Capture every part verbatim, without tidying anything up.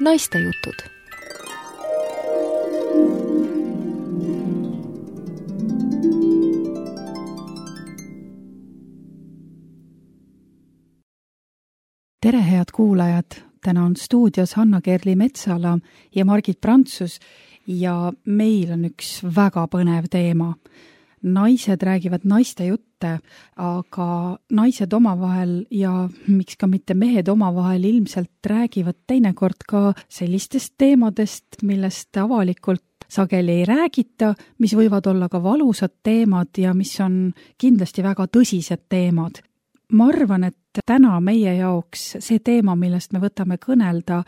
Naistejutud. Tere, head kuulajad! Täna on stuudios Hanna-Kerli Metsala ja Margit Prantsus ja meil on üks väga põnev teema. Naised räägivad naiste jutte, aga naised omavahel ja miks ka mitte mehed omavahel ilmselt räägivad teinekord ka sellistest teemadest, millest avalikult sageli ei räägita, mis võivad olla ka valusad teemad ja mis on kindlasti väga tõsised teemad. Ma arvan, et täna meie jaoks see teema, millest me võtame kõnelda,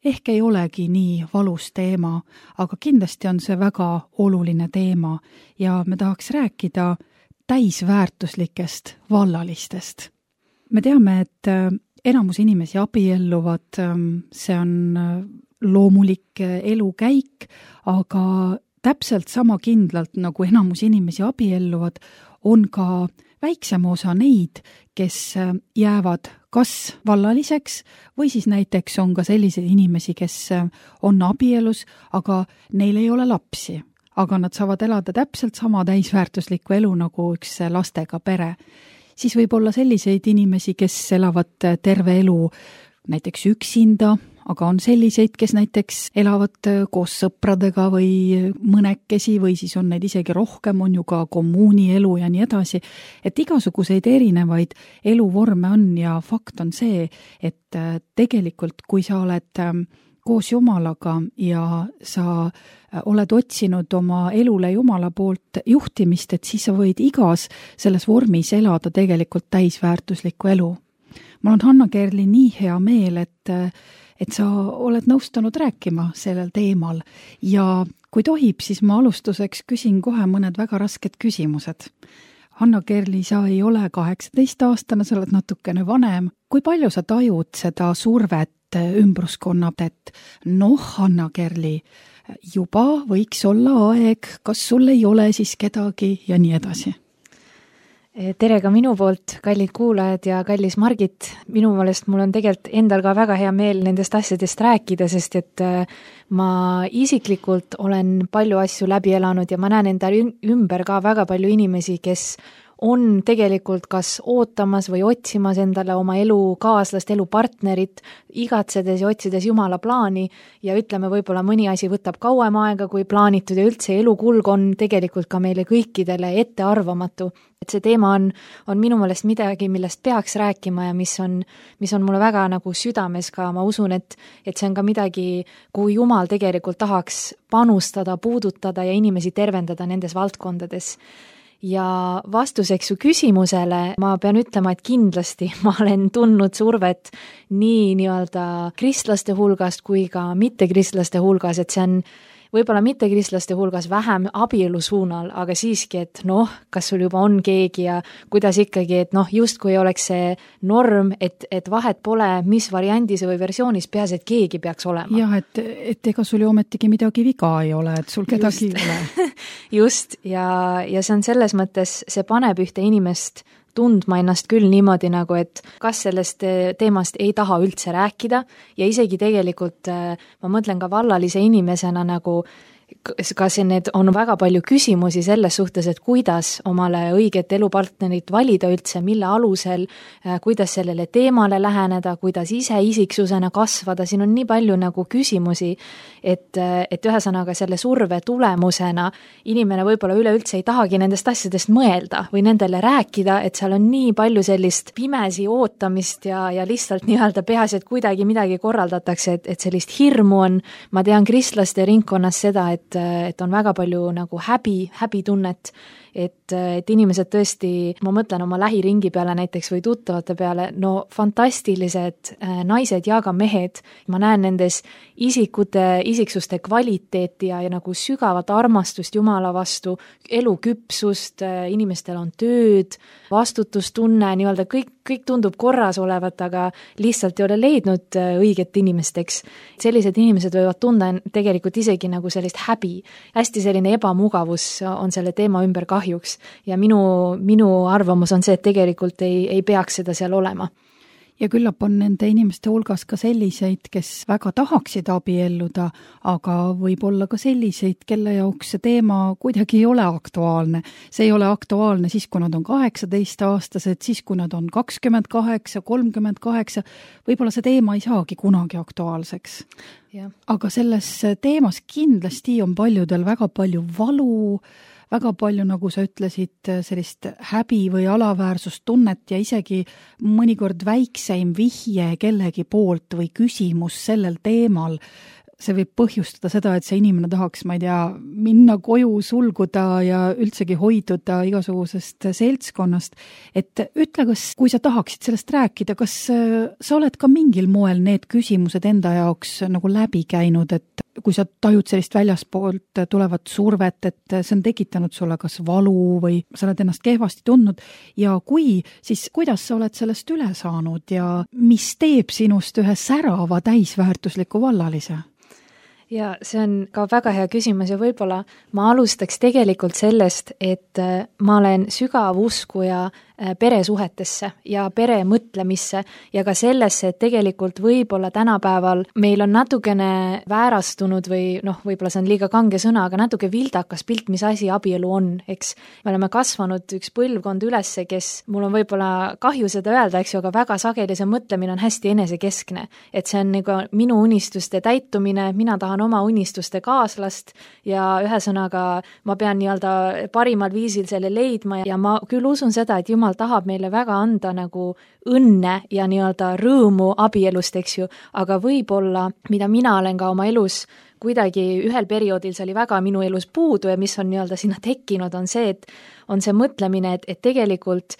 ehk ei olegi nii valus teema, aga kindlasti on see väga oluline teema ja me tahaks rääkida täisväärtuslikest vallalistest. Me teame, et enamus inimesi abielluvad, see on loomulik elukäik, aga täpselt sama kindlalt, nagu enamus inimesi abielluvad, on ka väiksem osa neid, kes jäävad kas vallaliseks või siis näiteks on ka selliseid inimesi, kes on abielus, aga neil ei ole lapsi, aga nad saavad elada täpselt sama täisväärtuslikku elu nagu üks lastega pere. Siis võib olla selliseid inimesi, kes elavad terve elu näiteks üksinda, aga on selliseid, kes näiteks elavad koos sõpradega või mõnekesi või siis on neid isegi rohkem, on ju ka kommuunielu ja nii edasi. Et igasuguseid erinevaid eluvorme on ja fakt on see, et tegelikult kui sa oled koos Jumalaga ja sa oled otsinud oma elule Jumala poolt juhtimist, et siis sa võid igas selles vormis elada tegelikult täisväärtuslikku elu. Mul on Hanna-Kerli nii hea meel, et et sa oled nõustunud rääkima sellel teemal ja kui tohib, siis ma alustuseks küsin kohe mõned väga rasked küsimused. Hanna-Kerli, sa ei ole kaheksateist aastane, sa oled natukene vanem. Kui palju sa tajud seda survet ümbruskonnad, et noh, Hanna-Kerli, juba võiks olla aeg, kas sul ei ole siis kedagi ja nii edasi? Tere ka minu poolt, kallid kuulajad ja kallis Margit. Minu meelest mul on tegelikult endal ka väga hea meel nendest asjadest rääkida, sest et ma isiklikult olen palju asju läbi elanud ja ma näen enda ümber ka väga palju inimesi, kes on tegelikult kas ootamas või otsimas endale oma elukaaslast, elupartnerit, igatsedes ja otsides Jumala plaani ja ütleme, võib-olla mõni asi võtab kauem aega kui plaanitud ja üldse elukulg on tegelikult ka meile kõikidele ettearvamatu. Et see teema on, on minu meelest midagi, millest peaks rääkima ja mis on, mis on mulle väga nagu südames ka. Ma usun, et, et see on ka midagi, kui Jumal tegelikult tahaks panustada, puudutada ja inimesi tervendada nendes valdkondades. Ja vastuseks su küsimusele ma pean ütlema, et kindlasti ma olen tundnud survet nii nii-öelda kristlaste hulgast kui ka mittekristlaste hulgas, et see on võib-olla mittekristlaste hulgas vähem abielu suunal, aga siiski, et noh, kas sul juba on keegi ja kuidas ikkagi, et noh, just kui oleks see norm, et, et vahet pole, mis variandis või versioonis peas, et keegi peaks olema. Jah, et, et ega sul ju ometigi midagi viga ei ole, et sul kedagi just. ei ole. Just, ja, ja see on selles mõttes, see paneb ühte inimest tundma ennast küll niimoodi nagu, et kas sellest teemast ei taha üldse rääkida ja isegi tegelikult ma mõtlen ka vallalise inimesena nagu kas need on väga palju küsimusi selles suhtes, et kuidas omale õiget elupartnerit valida üldse, mille alusel, kuidas sellele teemale läheneda, kuidas ise isiksusena kasvada, siin on nii palju nagu küsimusi, et, et ühesõnaga selle surve tulemusena inimene võib-olla üleüldse ei tahagi nendest asjadest mõelda või nendele rääkida, et seal on nii palju sellist pimesi ootamist ja, ja lihtsalt nii-öelda peas, et kuidagi midagi korraldatakse, et, et sellist hirmu on, ma tean kristlaste ringkonnas seda, et et on väga palju nagu häbi, häbitunnet, et, et inimesed tõesti, ma mõtlen oma lähiringi peale näiteks või tuttavate peale, no fantastilised naised ja ka mehed, ma näen nendes isikute, isiksuste kvaliteeti ja, ja nagu sügavat armastust Jumala vastu, eluküpsust, inimestel on tööd, vastutustunne, nii-öelda kõik, kõik tundub korras olevat, aga lihtsalt ei ole leidnud õiget inimesteks. Sellised inimesed võivad tunda tegelikult isegi nagu sellist häbi. Hästi selline ebamugavus on selle teema ümber kahjuks ja minu, minu arvamus on see, et tegelikult ei, ei peaks seda seal olema. ja küllap on nende inimeste hulgas ka selliseid, kes väga tahaksid abielluda, aga võib-olla ka selliseid, kelle jaoks see teema kuidagi ei ole aktuaalne. See ei ole aktuaalne siis, kui nad on kaheksateist-aastased, siis, kui nad on kakskümmend kaheksa, kolmkümmend kaheksa, võib-olla see teema ei saagi kunagi aktuaalseks. Ja. Aga selles teemas kindlasti on paljudel väga palju valu, väga palju, nagu sa ütlesid, sellist häbi või alaväärsustunnet ja isegi mõnikord väikseim vihje kellegi poolt või küsimus sellel teemal. See võib põhjustada seda, et see inimene tahaks, ma ei tea, minna koju, sulguda ja üldsegi hoiduda igasugusest seltskonnast. Et ütle, kas, kui sa tahaksid sellest rääkida, kas sa oled ka mingil moel need küsimused enda jaoks nagu läbi käinud, et kui sa tajud sellist väljaspoolt tulevat survet, et see on tekitanud sulle kas valu või sa oled ennast kehvasti tundnud ja kui, siis kuidas sa oled sellest üle saanud ja mis teeb sinust ühe särava täisväärtusliku vallalise? Ja see on ka väga hea küsimus ja võib-olla ma alustaks tegelikult sellest, et ma olen sügav uskuja peresuhetesse ja pere mõtlemisse ja ka sellesse, et tegelikult võib-olla tänapäeval meil on natukene väärastunud või noh, võib-olla see on liiga kange sõna, aga natuke vildakas pilt, mis asi abielu on, eks. Me oleme kasvanud üks põlvkond ülesse, kes, mul on võib-olla kahju seda öelda, eks ju, aga väga sageli see mõtlemine on hästi enesekeskne. Et see on nagu minu unistuste täitumine, mina tahan oma unistuste kaaslast ja ühesõnaga ma pean nii-öelda parimal viisil selle leidma ja ma küll usun seda, et Jumal tahab meile väga anda nagu õnne ja nii-öelda rõõmu abielust, eks ju, aga võib-olla, mida mina olen ka oma elus kuidagi ühel perioodil, see oli väga minu elus puudu ja mis on nii-öelda sinna tekkinud, on see, et on see mõtlemine, et, et tegelikult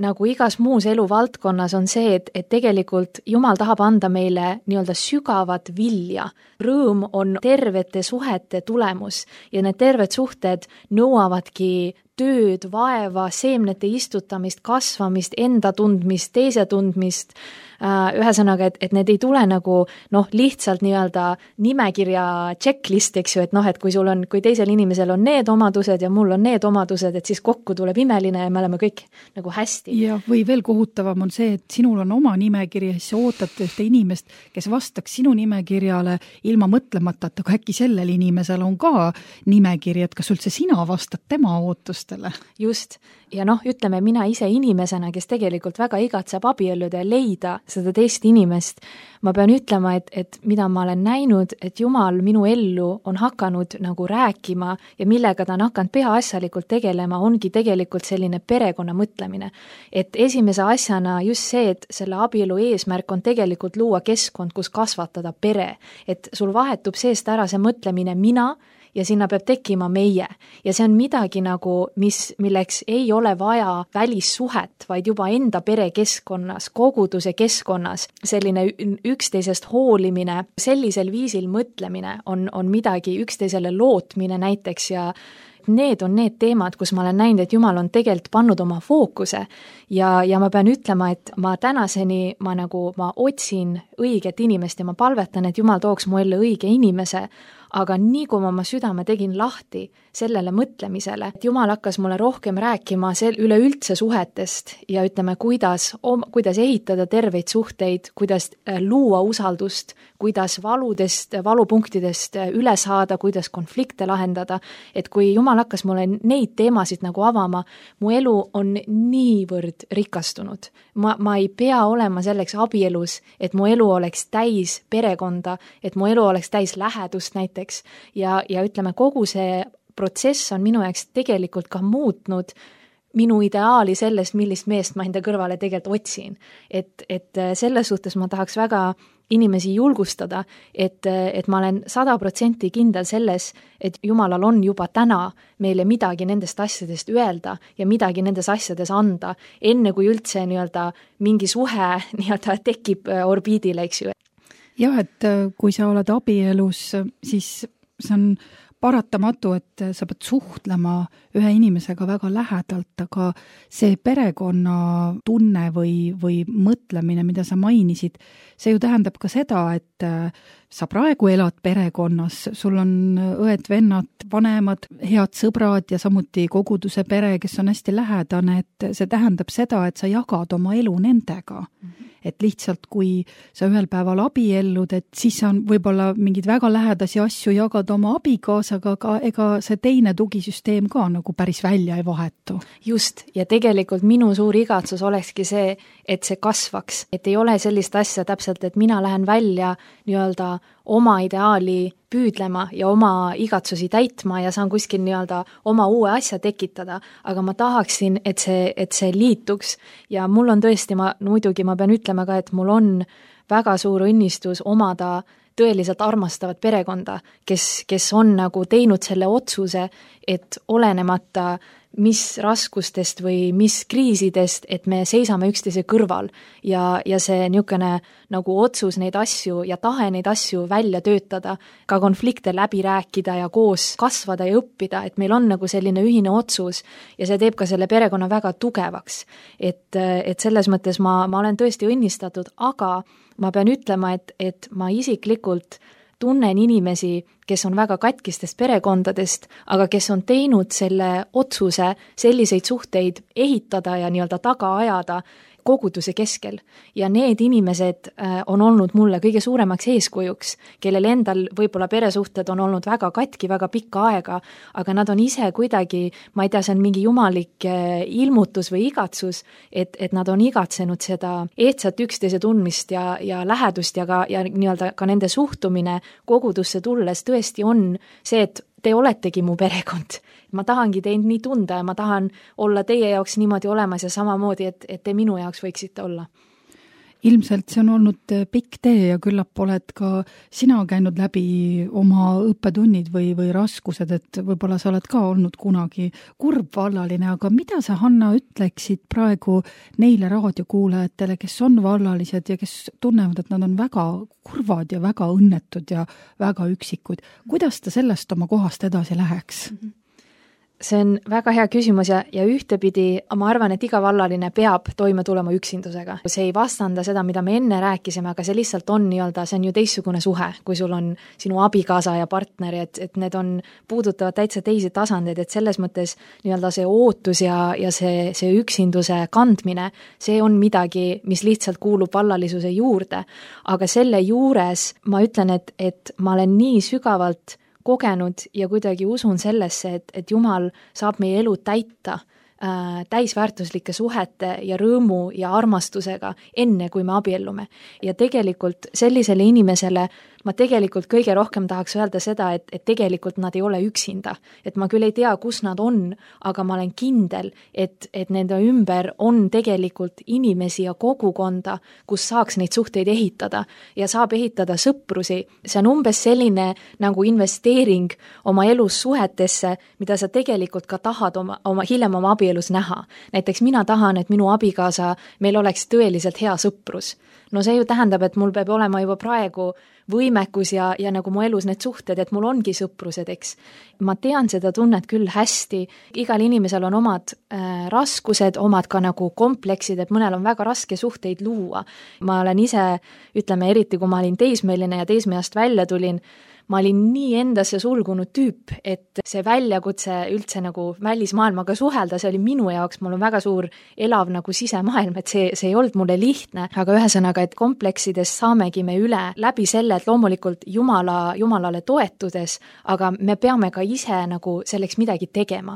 nagu igas muus eluvaldkonnas on see, et, et tegelikult Jumal tahab anda meile nii-öelda sügavat vilja. Rõõm on tervete suhete tulemus ja need terved suhted nõuavadki tööd, vaeva, seemnete istutamist, kasvamist, enda tundmist, teise tundmist, ühesõnaga, et, et need ei tule nagu noh, lihtsalt nii-öelda nimekirja checklist, eks ju, et noh, et kui sul on, kui teisel inimesel on need omadused ja mul on need omadused, et siis kokku tuleb imeline ja me oleme kõik nagu hästi. Ja või veel kohutavam on see, et sinul on oma nimekiri ja siis ootad ühte inimest, kes vastaks sinu nimekirjale ilma mõtlemata, et aga äkki sellel inimesel on ka nimekiri, et kas üldse sina vastad tema ootustele. Just. Ja noh, ütleme mina ise inimesena, kes tegelikult väga igatseb abielluda ja leida seda teist inimest, ma pean ütlema, et, et mida ma olen näinud, et Jumal minu ellu on hakanud nagu rääkima ja millega ta on hakanud peaasjalikult tegelema, ongi tegelikult selline perekonna mõtlemine. Et esimese asjana just see, et selle abielu eesmärk on tegelikult luua keskkond, kus kasvatada pere, et sul vahetub seest ära see mõtlemine mina, ja sinna peab tekkima meie. Ja see on midagi nagu, mis, milleks ei ole vaja välissuhet, vaid juba enda perekeskkonnas, koguduse keskkonnas, selline üksteisest hoolimine, sellisel viisil mõtlemine on, on midagi, üksteisele lootmine näiteks ja need on need teemad, kus ma olen näinud, et Jumal on tegelikult pannud oma fookuse ja, ja ma pean ütlema, et ma tänaseni ma nagu, ma otsin õiget inimest ja ma palvetan, et Jumal tooks mu ellu õige inimese, aga nii kui ma oma südame tegin lahti sellele mõtlemisele, et Jumal hakkas mulle rohkem rääkima sel, üleüldse suhetest ja ütleme, kuidas, kuidas ehitada terveid suhteid, kuidas luua usaldust, kuidas valudest, valupunktidest üle saada, kuidas konflikte lahendada, et kui Jumal hakkas mulle neid teemasid nagu avama, mu elu on niivõrd rikastunud. Ma, ma ei pea olema selleks abielus, et mu elu oleks täis perekonda, et mu elu oleks täis lähedust näiteks ja, ja ütleme, kogu see protsess on minu jaoks tegelikult ka muutnud minu ideaali sellest, millist meest ma enda kõrvale tegelikult otsin. Et, et selles suhtes ma tahaks väga inimesi julgustada, et, et ma olen sada protsenti kindel selles, et Jumalal on juba täna meile midagi nendest asjadest öelda ja midagi nendes asjades anda, enne kui üldse nii-öelda mingi suhe nii-öelda tekib orbiidile, eks ju. Jah, et kui sa oled abielus, siis see on paratamatu, et sa pead suhtlema ühe inimesega väga lähedalt, aga see perekonna tunne või, või mõtlemine, mida sa mainisid, see ju tähendab ka seda, et sa praegu elad perekonnas, sul on õed, vennad, vanemad, head sõbrad ja samuti koguduse pere, kes on hästi lähedane, et see tähendab seda, et sa jagad oma elu nendega. Mm-hmm. et lihtsalt kui sa ühel päeval abiellud, et siis sa võib-olla mingid väga lähedasi asju jagad oma abikaasaga, aga ega see teine tugisüsteem ka nagu päris välja ei vahetu. Just, ja tegelikult minu suur igatsus olekski see, et see kasvaks, et ei ole sellist asja täpselt, et mina lähen välja nii-öelda oma ideaali püüdlema ja oma igatsusi täitma ja saan kuskil nii-öelda oma uue asja tekitada, aga ma tahaksin, et see, et see liituks ja mul on tõesti, ma muidugi ma pean ütlema ka, et mul on väga suur õnnistus omada tõeliselt armastavat perekonda, kes, kes on nagu teinud selle otsuse, et olenemata mis raskustest või mis kriisidest, et me seisame üksteise kõrval ja, ja see niisugune nagu otsus neid asju ja tahe neid asju välja töötada, ka konflikte läbi rääkida ja koos kasvada ja õppida, et meil on nagu selline ühine otsus ja see teeb ka selle perekonna väga tugevaks. Et, et selles mõttes ma, ma olen tõesti õnnistatud, aga ma pean ütlema, et, et ma isiklikult tunnen inimesi, kes on väga katkistest perekondadest, aga kes on teinud selle otsuse selliseid suhteid ehitada ja nii-öelda taga ajada koguduse keskel. Ja need inimesed on olnud mulle kõige suuremaks eeskujuks, kellel endal võib-olla peresuhted on olnud väga katki, väga pikka aega, aga nad on ise kuidagi, ma ei tea, see on mingi jumalik ilmutus või igatsus, et, et nad on igatsenud seda ehtsat üksteise tundmist ja, ja lähedust ja, ka, ja nii-öelda ka nende suhtumine kogudusse tulles tõesti on see, et te oletegi mu perekond. Ma tahangi teid nii tunda ja ma tahan olla teie jaoks niimoodi olemas ja samamoodi, et, et te minu jaoks võiksite olla. Ilmselt see on olnud pikk tee ja küllap oled ka sina käinud läbi oma õppetunnid või, või raskused, et võib-olla sa oled ka olnud kunagi kurb vallaline, aga mida sa, Hanna, ütleksid praegu neile raadiokuulajatele, kes on vallalised ja kes tunnevad, et nad on väga kurvad ja väga õnnetud ja väga üksikud. Kuidas ta sellest oma kohast edasi läheks? Mm-hmm. See on väga hea küsimus ja, ja ühtepidi ma arvan, et iga vallaline peab toime tulema üksindusega. See ei vastanda seda, mida me enne rääkisime, aga see lihtsalt on nii-öelda, see on ju teistsugune suhe, kui sul on sinu abikaasa ja partner, et, et need on puudutavad täitsa teisi tasandeid, et selles mõttes nii-öelda see ootus ja, ja see, see üksinduse kandmine, see on midagi, mis lihtsalt kuulub vallalisuse juurde. Aga selle juures ma ütlen, et, et ma olen nii sügavalt kogenud ja kuidagi usun sellesse, et, et Jumal saab meie elu täita äh, täisväärtuslike suhete ja rõõmu ja armastusega enne, kui me abiellume. Ja tegelikult sellisele inimesele ma tegelikult kõige rohkem tahaks öelda seda, et, et tegelikult nad ei ole üksinda. Et ma küll ei tea, kus nad on, aga ma olen kindel, et, et nende ümber on tegelikult inimesi ja kogukonda, kus saaks neid suhteid ehitada ja saab ehitada sõprusi. See on umbes selline nagu investeering oma elus suhetesse, mida sa tegelikult ka tahad oma, oma, hiljem oma abielus näha. Näiteks mina tahan, et minu abikaasa, meil oleks tõeliselt hea sõprus. No see ju tähendab, et mul peab olema juba praegu võimekus ja, ja nagu mu elus need suhted, et mul ongi sõprused, eks. Ma tean seda tunnet küll hästi, igal inimesel on omad äh, raskused, omad ka nagu kompleksid, et mõnel on väga raske suhteid luua. Ma olen ise, ütleme eriti, kui ma olin teismeline ja teismeast välja tulin, ma olin nii endasse sulgunud tüüp, et see väljakutse üldse nagu välismaailmaga suhelda, see oli minu jaoks, mul on väga suur elav nagu sisemaailm, et see, see ei olnud mulle lihtne, aga ühesõnaga, et kompleksidest saamegi me üle läbi selle, et loomulikult Jumala, Jumalale toetudes, aga me peame ka ise nagu selleks midagi tegema.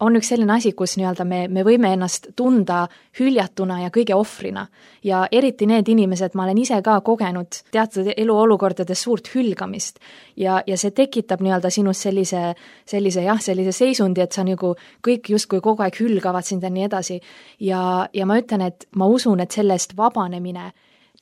On üks selline asi, kus nii-öelda me, me võime ennast tunda hüljatuna ja kõige ohvrina ja eriti need inimesed, ma olen ise ka kogenud teatud eluolukordades suurt hülgamist ja, ja see tekitab nii-öelda sinust sellise, sellise, jah, sellise seisundi, et sa nagu kõik justkui kogu aeg hülgavad sind ja nii edasi ja, ja ma ütlen, et ma usun, et sellest vabanemine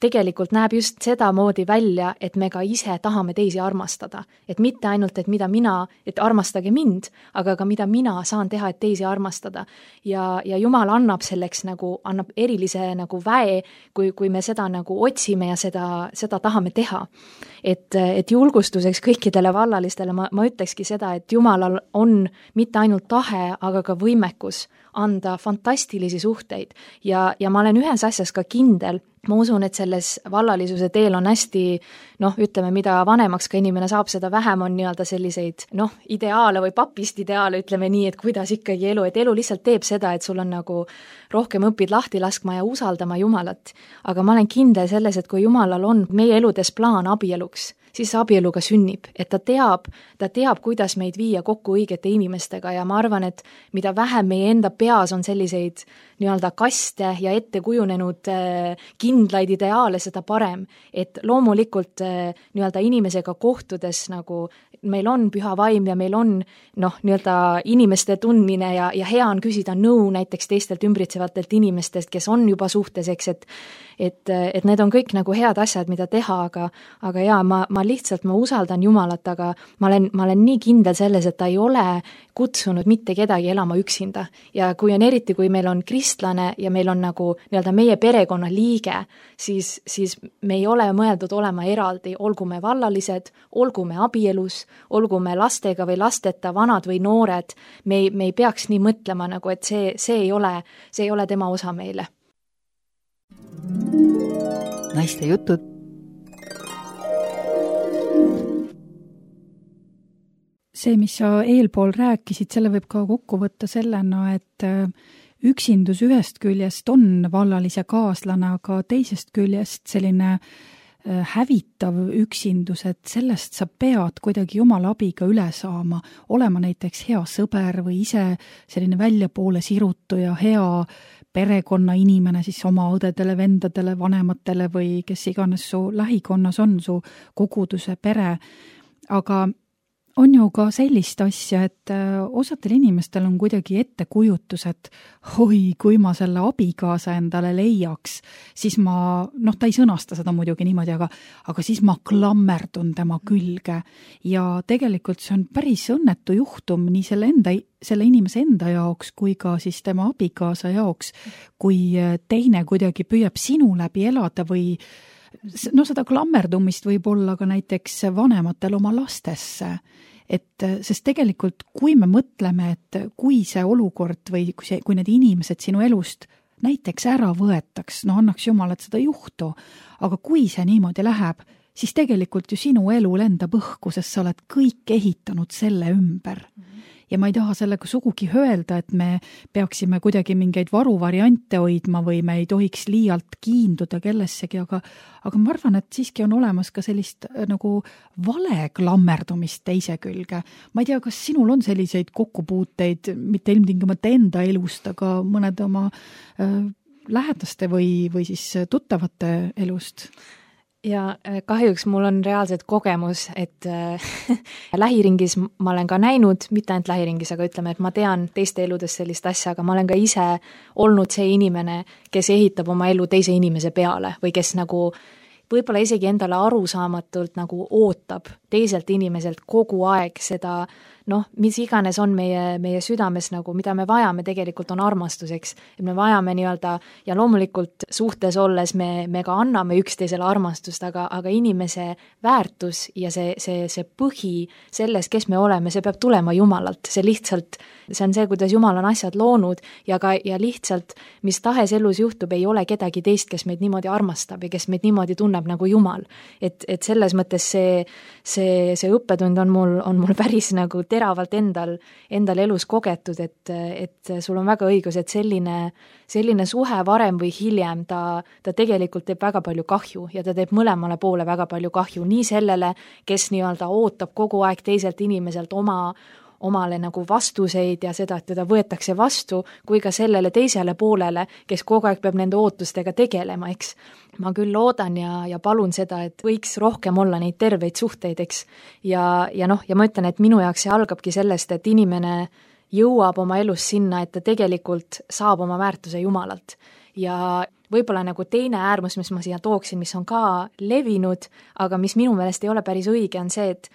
tegelikult näeb just seda moodi välja, et me ka ise tahame teisi armastada. Et mitte ainult, et mida mina, et armastage mind, aga ka mida mina saan teha, et teisi armastada. Ja, ja Jumal annab selleks nagu, annab erilise nagu väe, kui, kui me seda nagu otsime ja seda, seda tahame teha. Et, et julgustuseks kõikidele vallalistele ma, ma ütlekski seda, et Jumalal on mitte ainult tahe, aga ka võimekus anda fantastilisi suhteid ja, ja ma olen ühes asjas ka kindel, ma usun, et selles vallalisuse teel on hästi, noh, ütleme, mida vanemaks ka inimene saab, seda vähem on nii-öelda selliseid, noh, ideaale või papist ideaale, ütleme nii, et kuidas ikkagi elu, et elu lihtsalt teeb seda, et sul on nagu rohkem õpid lahti laskma ja usaldama Jumalat. Aga ma olen kindel selles, et kui Jumalal on meie eludes plaan abieluks, siis abieluga sünnib, et ta teab, ta teab, kuidas meid viia kokku õigete inimestega ja ma arvan, et mida vähem meie enda peas on selliseid nii-öelda kaste ja ette kujunenud kindlaid ideaale, seda parem. Et loomulikult nii-öelda inimesega kohtudes nagu meil on püha vaim ja meil on noh, nii-öelda inimeste tundmine ja, ja hea on küsida nõu näiteks teistelt ümbritsevatelt inimestest, kes on juba suhtes, eks, et et, et need on kõik nagu head asjad, mida teha, aga, aga jaa, ma, ma lihtsalt, ma usaldan Jumalat, aga ma olen, ma olen nii kindel selles, et ta ei ole kutsunud mitte kedagi elama üksinda. Ja kui on eriti, kui meil on kristlane ja meil on nagu nii-öelda meie perekonna liige, siis, siis me ei ole mõeldud olema eraldi, olgu me vallalised, olgu me abielus, olgu me lastega või lasteta, vanad või noored, me ei, me ei peaks nii mõtlema nagu, et see, see ei ole, see ei ole tema osa meile. Naiste jutud. See, mis sa eelpool rääkisid, selle võib ka kokku võtta sellena, et üksindus ühest küljest on vallalise kaaslane, aga teisest küljest selline hävitav üksindus, et sellest sa pead kuidagi Jumala abiga üle saama, olema näiteks hea sõber või ise selline väljapoole sirutuja, hea perekonna inimene siis oma õdedele, vendadele, vanematele või kes iganes su lähikonnas on, su koguduse pere. Aga on ju ka sellist asja, et osadel inimestel on kuidagi ettekujutus, et oi, kui ma selle abikaasa endale leiaks, siis ma, noh, ta ei sõnasta seda muidugi niimoodi, aga, aga siis ma klammerdun tema külge. Ja tegelikult see on päris õnnetu juhtum nii selle, enda, selle inimese enda jaoks kui ka siis tema abikaasa jaoks, kui teine kuidagi püüab sinu läbi elada või no seda klammerdumist võib olla ka näiteks vanematel oma lastesse, et sest tegelikult kui me mõtleme, et kui see olukord või kui, see, kui need inimesed sinu elust näiteks ära võetaks, no annaks Jumal, et seda juhtu, aga kui see niimoodi läheb, siis tegelikult ju sinu elu lendab õhku, sest sa oled kõik ehitanud selle ümber. Ja ma ei taha sellega sugugi öelda, et me peaksime kuidagi mingeid varuvariante hoidma või me ei tohiks liialt kiinduda kellessegi, aga, aga ma arvan, et siiski on olemas ka sellist nagu vale klammerdumist teise külge. Ma ei tea, kas sinul on selliseid kokkupuuteid, mitte ilmtingimata enda elust, aga mõned oma äh, lähedaste või, või siis tuttavate elust? Ja kahjuks mul on reaalselt kogemus, et äh, lähiringis ma olen ka näinud, mitte ainult lähiringis, aga ütleme, et ma tean teiste eludes sellist asja, aga ma olen ka ise olnud see inimene, kes ehitab oma elu teise inimese peale või kes nagu võib-olla isegi endale arusaamatult nagu ootab teiselt inimeselt kogu aeg seda, noh, mis iganes on meie, meie südames nagu, mida me vajame tegelikult on armastuseks, et me vajame nii-öelda ja loomulikult suhtes olles me, me ka anname üksteisele armastust, aga, aga inimese väärtus ja see, see, see põhi selles, kes me oleme, see peab tulema Jumalalt, see lihtsalt, see on see, kuidas Jumal on asjad loonud ja ka, ja lihtsalt, mis tahes elus juhtub, ei ole kedagi teist, kes meid niimoodi armastab ja kes meid niimoodi tunneb nagu Jumal. Et, et selles mõttes see, see, see õppetund on mul, on mul päris nagu teravalt endal, endal elus kogetud, et, et sul on väga õigus, et selline, selline suhe varem või hiljem, ta, ta tegelikult teeb väga palju kahju ja ta teeb mõlemale poole väga palju kahju, nii sellele, kes nii-öelda ootab kogu aeg teiselt inimeselt oma omale nagu vastuseid ja seda, et teda võetakse vastu, kui ka sellele teisele poolele, kes kogu aeg peab nende ootustega tegelema, eks. Ma küll loodan ja, ja palun seda, et võiks rohkem olla neid terveid suhteid, eks. Ja, ja noh, ja ma ütlen, et minu jaoks see algabki sellest, et inimene jõuab oma elus sinna, et ta tegelikult saab oma väärtuse Jumalalt. Ja võib-olla nagu teine äärmus, mis ma siia tooksin, mis on ka levinud, aga mis minu meelest ei ole päris õige, on see, et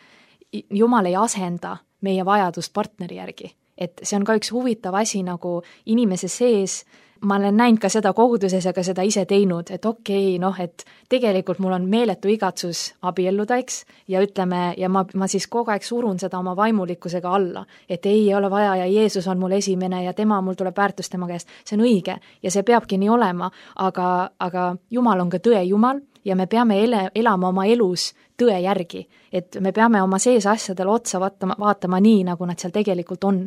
Jumal ei asenda meie vajadust partneri järgi. Et see on ka üks huvitav asi nagu inimese sees ma olen näinud ka seda koguduses ja ka seda ise teinud, et okei okay,, noh, et tegelikult mul on meeletu igatsus abielluda, eks, ja ütleme, ja ma, ma siis kogu aeg surun seda oma vaimulikkusega alla, et ei ole vaja ja Jeesus on mul esimene ja tema, mul tuleb väärtus tema käest, see on õige ja see peabki nii olema, aga, aga Jumal on ka tõe Jumal ja me peame ele, elama oma elus tõe järgi, et me peame oma sees asjadele otsa vaatama, vaatama nii, nagu nad seal tegelikult on.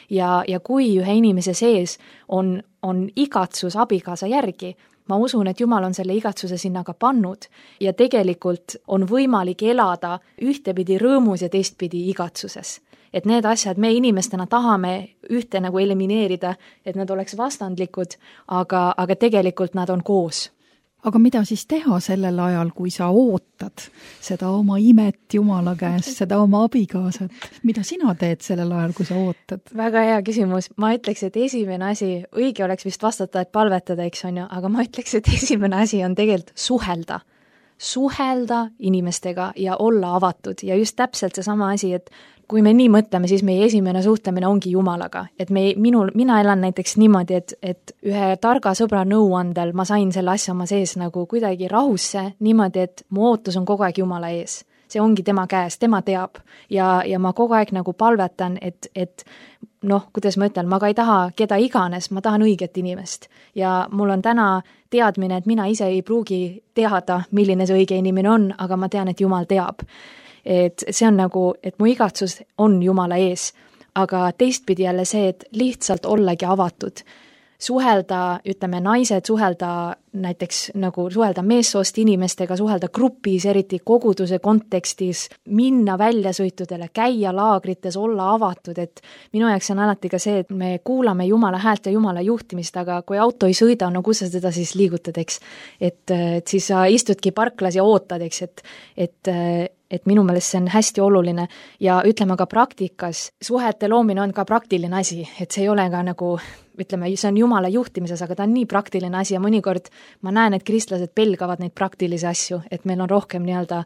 Ja, ja kui ühe inimese sees on, on igatsus abikaasa järgi, ma usun, et Jumal on selle igatsuse sinna ka pannud ja tegelikult on võimalik elada ühtepidi rõõmus ja teistpidi igatsuses. Et need asjad me inimestena tahame ühte nagu elimineerida, et nad oleks vastandlikud, aga, aga tegelikult nad on koos. Aga mida siis teha sellel ajal, kui sa ootad seda oma imet Jumala käest, seda oma abikaasat? Mida sina teed sellel ajal, kui sa ootad? Väga hea küsimus. Ma ütleks, et esimene asi, õige oleks vist vastata, et palvetada, eks on ju, aga ma ütleks, et esimene asi on tegelikult suhelda. Suhelda inimestega ja olla avatud ja just täpselt seesama asi, et kui me nii mõtleme, siis meie esimene suhtlemine ongi Jumalaga, et me, minul, mina elan näiteks niimoodi, et, et ühe targa sõbra nõuandel ma sain selle asja oma sees nagu kuidagi rahusse niimoodi, et mu ootus on kogu aeg Jumala ees. See ongi tema käes, tema teab ja, ja ma kogu aeg nagu palvetan, et, et noh, kuidas ma ütlen, ma ka ei taha keda iganes, ma tahan õiget inimest ja mul on täna teadmine, et mina ise ei pruugi teada, milline see õige inimene on, aga ma tean, et Jumal teab. Et see on nagu, et mu igatsus on Jumala ees, aga teistpidi jälle see, et lihtsalt ollagi avatud. Suhelda, ütleme, naised suhelda näiteks nagu suhelda meessoost inimestega, suhelda grupis, eriti koguduse kontekstis, minna väljasõitudele, käia laagrites, olla avatud, et minu jaoks on alati ka see, et me kuulame Jumala häält ja Jumala juhtimist, aga kui auto ei sõida, no kus sa seda siis liigutad, eks? Et, et siis sa istudki parklas ja ootad, eks, et, et et minu meelest see on hästi oluline ja ütleme ka praktikas, suhete loomine on ka praktiline asi, et see ei ole ka nagu, ütleme, see on Jumala juhtimises, aga ta on nii praktiline asi ja mõnikord ma näen, et kristlased pelgavad neid praktilisi asju, et meil on rohkem nii-öelda,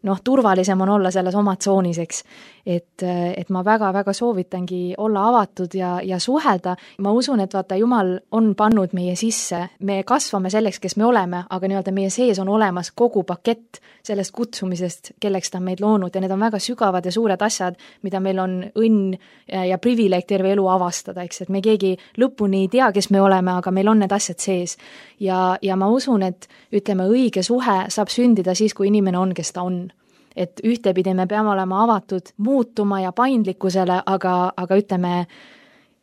noh, turvalisem on olla selles oma tsoonis, eks. Et, et ma väga-väga soovitangi olla avatud ja, ja suhelda. Ma usun, et vaata, Jumal on pannud meie sisse, me kasvame selleks, kes me oleme, aga nii-öelda meie sees on olemas kogu pakett sellest kutsumisest, kelleks ta on meid loonud ja need on väga sügavad ja suured asjad, mida meil on õnn ja privileeg terve elu avastada, eks, et me keegi lõpuni ei tea, kes me oleme, aga meil on need asjad sees. Ja, ja ma usun, et ütleme, õige suhe saab sündida siis, kui inimene on, kes ta on. Et ühtepidi me peame olema avatud muutuma ja paindlikkusele, aga, aga ütleme,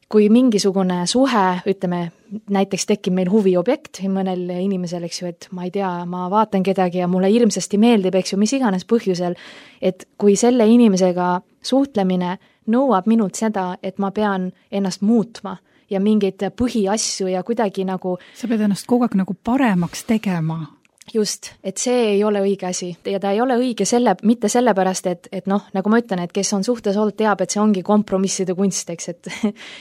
kui mingisugune suhe, ütleme, näiteks tekib meil huviobjekt mõnel inimesel, eks ju, et ma ei tea, ma vaatan kedagi ja mulle hirmsasti meeldib, eks ju, mis iganes põhjusel, et kui selle inimesega suhtlemine nõuab minult seda, et ma pean ennast muutma ja mingeid põhiasju ja kuidagi nagu sa pead ennast kogu aeg nagu paremaks tegema. Just, et see ei ole õige asi ja ta ei ole õige selle, mitte sellepärast, et, et noh, nagu ma ütlen, et kes on suhtes olnud, teab, et see ongi kompromisside kunst, eks, et,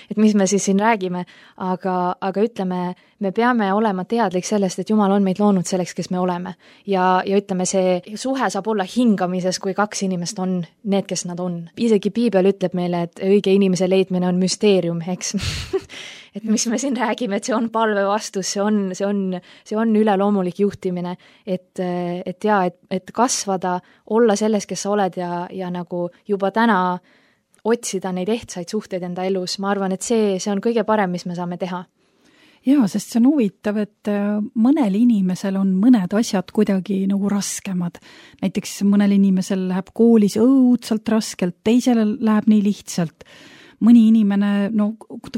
et mis me siis siin räägime, aga, aga ütleme, me peame olema teadlik sellest, et Jumal on meid loonud selleks, kes me oleme ja, ja ütleme, see suhe saab olla hingamises, kui kaks inimest on need, kes nad on. Isegi Piibel ütleb meile, et õige inimese leidmine on müsteerium, eks et mis me siin räägime, et see on palve vastus, see on, see on, see on üleloomulik juhtimine, et, et jaa, et, et kasvada, olla selles, kes sa oled ja, ja nagu juba täna otsida neid ehtsaid suhteid enda elus, ma arvan, et see, see on kõige parem, mis me saame teha. Jaa, sest see on huvitav, et mõnel inimesel on mõned asjad kuidagi nagu raskemad. Näiteks mõnel inimesel läheb koolis õudselt raskelt, teisele läheb nii lihtsalt. Mõni inimene, no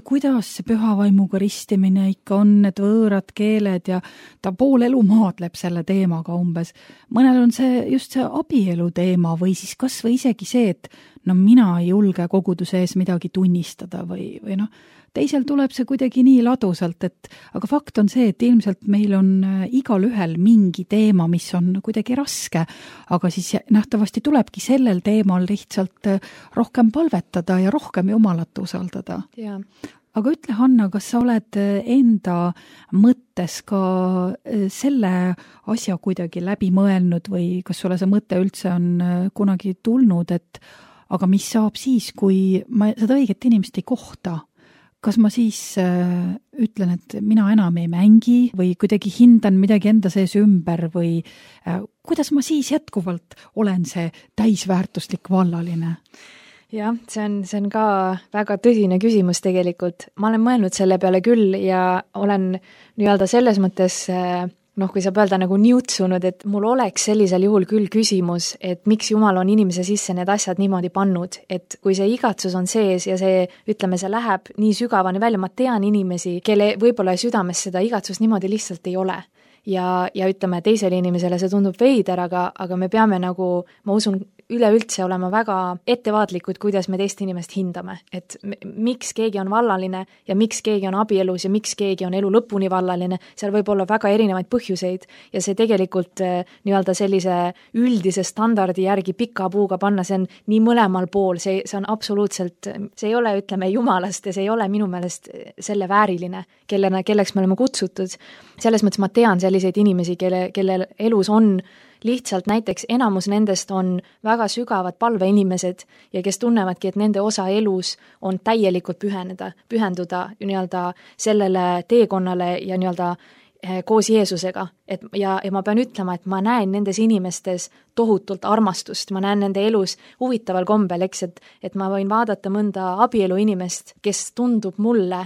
kuidas see pühavaimuga ristimine ikka on, need võõrad keeled ja ta pool elu maadleb selle teemaga umbes. Mõnel on see just see abielu teema või siis kas või isegi see, et no mina ei julge koguduse ees midagi tunnistada või, või noh, teisel tuleb see kuidagi nii ladusalt, et aga fakt on see, et ilmselt meil on igal ühel mingi teema, mis on kuidagi raske, aga siis nähtavasti tulebki sellel teemal lihtsalt rohkem palvetada ja rohkem Jumalat usaldada. Ja. Aga ütle, Hanna, kas sa oled enda mõttes ka selle asja kuidagi läbi mõelnud või kas sulle see mõte üldse on kunagi tulnud, et aga mis saab siis, kui ma seda õiget inimest ei kohta? kas ma siis äh, ütlen, et mina enam ei mängi või kuidagi hindan midagi enda sees ümber või äh, kuidas ma siis jätkuvalt olen see täisväärtuslik vallaline? Jah, see on, see on ka väga tõsine küsimus tegelikult. Ma olen mõelnud selle peale küll ja olen nii-öelda selles mõttes noh, kui saab öelda nagu niutsunud, et mul oleks sellisel juhul küll küsimus, et miks Jumal on inimese sisse need asjad niimoodi pannud, et kui see igatsus on sees ja see, ütleme, see läheb nii sügavani välja, ma tean inimesi, kelle võib-olla südames seda igatsust niimoodi lihtsalt ei ole. Ja, ja ütleme, teisele inimesele see tundub veider, aga, aga me peame nagu, ma usun, üleüldse olema väga ettevaatlikud, kuidas me teist inimest hindame, et miks keegi on vallaline ja miks keegi on abielus ja miks keegi on elu lõpuni vallaline, seal võib olla väga erinevaid põhjuseid ja see tegelikult nii-öelda sellise üldise standardi järgi pika puuga panna, see on nii mõlemal pool, see, see on absoluutselt, see ei ole, ütleme, jumalast ja see ei ole minu meelest selle vääriline, kellena, kelleks me oleme kutsutud. Selles mõttes ma tean selliseid inimesi, kelle, kelle elus on lihtsalt näiteks enamus nendest on väga sügavad palveinimesed ja kes tunnevadki, et nende osa elus on täielikult püheneda, pühenduda nii-öelda sellele teekonnale ja nii-öelda koos Jeesusega. Et, ja, ja ma pean ütlema, et ma näen nendes inimestes tohutult armastust, ma näen nende elus huvitaval kombel, eks, et, et ma võin vaadata mõnda abielu inimest, kes tundub mulle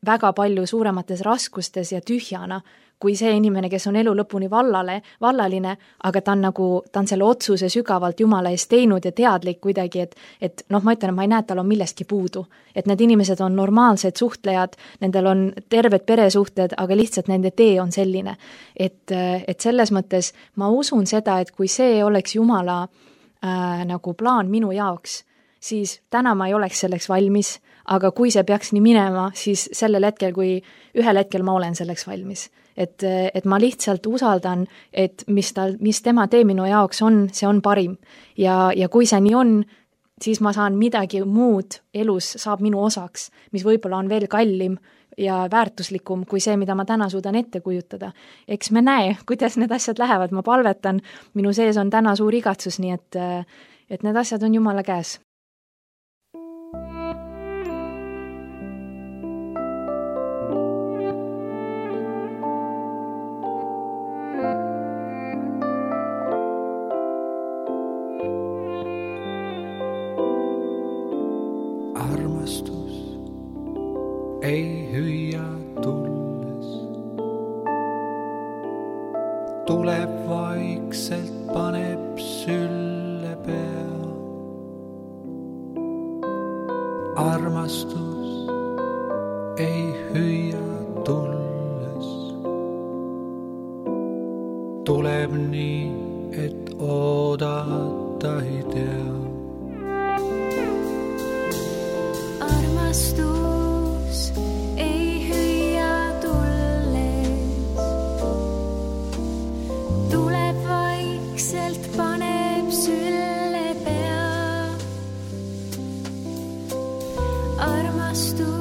väga palju suuremates raskustes ja tühjana, kui see inimene, kes on elu lõpuni vallale, vallaline, aga ta on nagu, ta on selle otsuse sügavalt Jumala eest teinud ja teadlik kuidagi, et, et noh, ma ütlen, et ma ei näe, et tal on millestki puudu. Et need inimesed on normaalsed suhtlejad, nendel on terved peresuhted, aga lihtsalt nende tee on selline. Et, et selles mõttes ma usun seda, et kui see oleks Jumala äh, nagu plaan minu jaoks, siis täna ma ei oleks selleks valmis, aga kui see peaks nii minema, siis sellel hetkel, kui ühel hetkel ma olen selleks valmis. Et, et ma lihtsalt usaldan, et mis, tal, mis tema tee minu jaoks on, see on parim. Ja, ja kui see nii on, siis ma saan midagi muud elus saab minu osaks, mis võib-olla on veel kallim ja väärtuslikum kui see, mida ma täna suudan ette kujutada. Eks me näe, kuidas need asjad lähevad, ma palvetan, minu sees on täna suur igatsus, nii et, et need asjad on Jumala käes. Armastus ei hüüa tulles, tuleb vaikselt, paneb sülle pea. Armastus ei hüüa tulles, tuleb nii, et oodata ei tea. Armastus ei hüüa tulles, tuleb vaikselt, paneb sülle pea. Armastus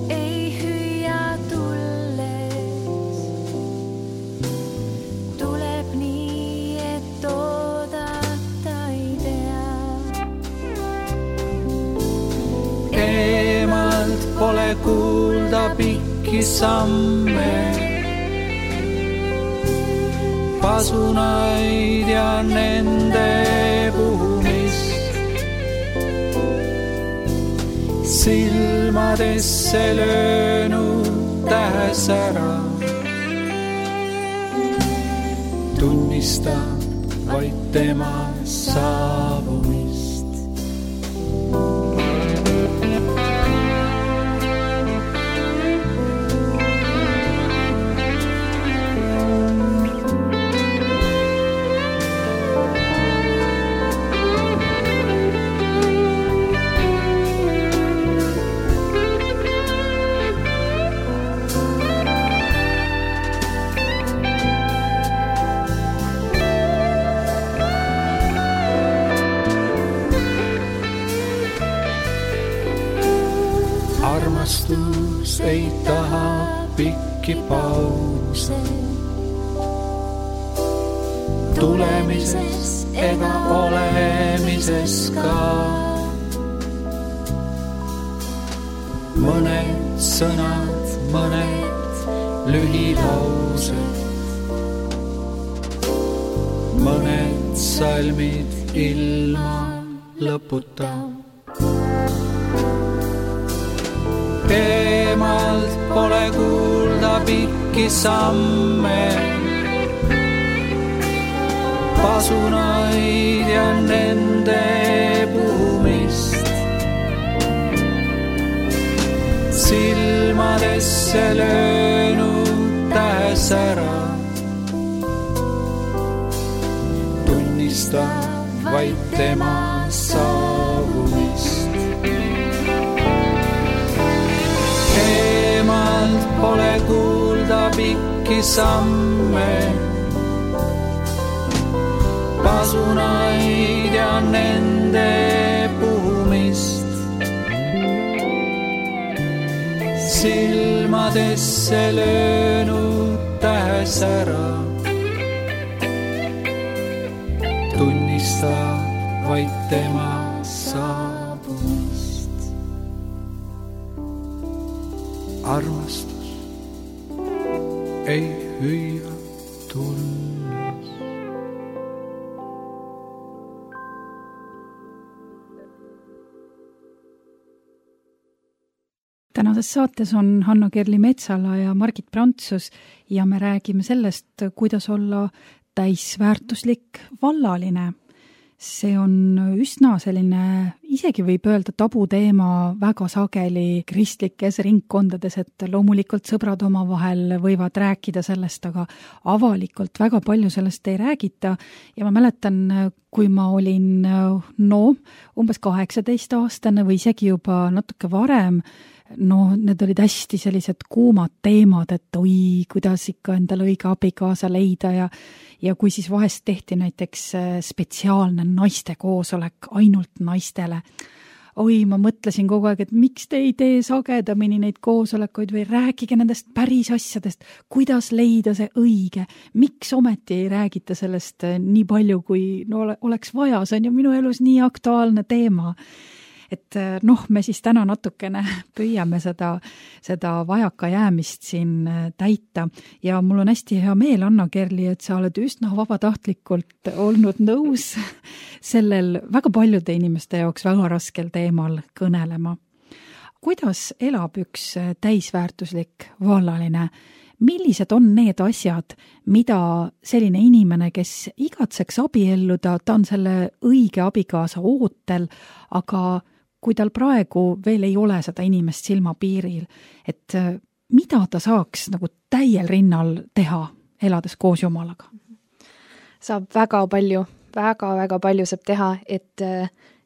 ei hüüa tulles, tuleb nii, et oodata ei tea. Eemalt pole kuulda pikki samme, pasunaid ja nende puhumist. Silmadesse löönud tähes ära, tunnistab vaid tema saabumist. Armastus ei taha pikki pause, tulemises ega olemises ka. mõned sõnad, mõned lühilaused, mõned salmid ilma lõputa. Eemalt pole kuulda pikki samme, pasunaid ja nende puhumist. Silmadesse löönud tähesära tunnistab vaid tema saabumist. Eemalt pole kuulda pikki samme, pasunaid ja nende puhumist. Silmadesse löönud tähesära tunnistab vaid tema saabumist. Armastus ei hüüa tulles. Tänases saates on Hanna-Kerli Metsala ja Margit Prantsus ja me räägime sellest, kuidas olla täisväärtuslik vallaline. See on üsna selline, isegi võib öelda tabuteema väga sageli kristlikes ringkondades, et loomulikult sõbrad omavahel võivad rääkida sellest, aga avalikult väga palju sellest ei räägita. Ja ma mäletan, kui ma olin no, umbes kaheksateist aastane või isegi juba natuke varem, no need olid hästi sellised kuumad teemad, et oi, kuidas ikka endale õige abikaasa leida ja ja kui siis vahest tehti näiteks spetsiaalne naiste koosolek ainult naistele. Oi, ma mõtlesin kogu aeg, et miks te ei tee sagedamini neid koosolekuid või rääkige nendest päris asjadest, kuidas leida see õige, miks ometi ei räägita sellest nii palju, kui no, oleks vaja, see on ju minu elus nii aktuaalne teema. Et noh, me siis täna natukene püüame seda, seda vajaka jäämist siin täita ja mul on hästi hea meel, Hanna-Kerli, et sa oled üsna vabatahtlikult olnud nõus sellel väga paljude inimeste jaoks väga raskel teemal kõnelema. Kuidas elab üks täisväärtuslik vallaline? Millised on need asjad, mida selline inimene, kes igatseks abielluda, ta on selle õige abikaasa ootel, aga kui tal praegu veel ei ole seda inimest silmapiiril, et mida ta saaks nagu täiel rinnal teha, elades koos Jumalaga? Saab väga palju, väga-väga palju saab teha, et,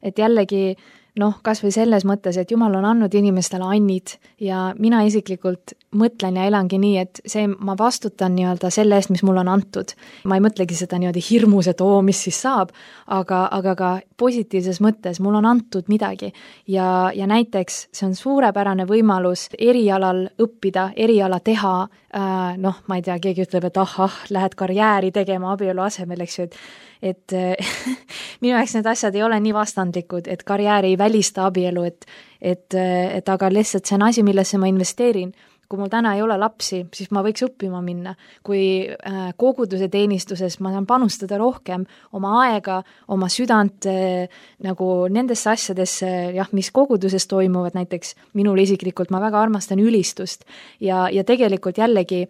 et jällegi noh, kas või selles mõttes, et Jumal on andnud inimestele annid ja mina isiklikult mõtlen ja elangi nii, et see, ma vastutan nii-öelda selle eest, mis mul on antud. Ma ei mõtlegi seda nii-öelda hirmus, et oo, mis siis saab, aga, aga ka positiivses mõttes mul on antud midagi ja, ja näiteks see on suurepärane võimalus erialal õppida, eriala teha, äh, noh, ma ei tea, keegi ütleb, et ah, ah, lähed karjääri tegema abielu asemel, eks ju, et et minu jaoks need asjad ei ole nii vastandlikud, et karjäär ei välista abielu, et, et, et aga lihtsalt see on asi, millesse ma investeerin. Kui mul täna ei ole lapsi, siis ma võiks õppima minna. Kui koguduse teenistuses ma saan panustada rohkem oma aega, oma südant nagu nendesse asjadesse, jah, mis koguduses toimuvad, näiteks minul isiklikult ma väga armastan ülistust ja, ja tegelikult jällegi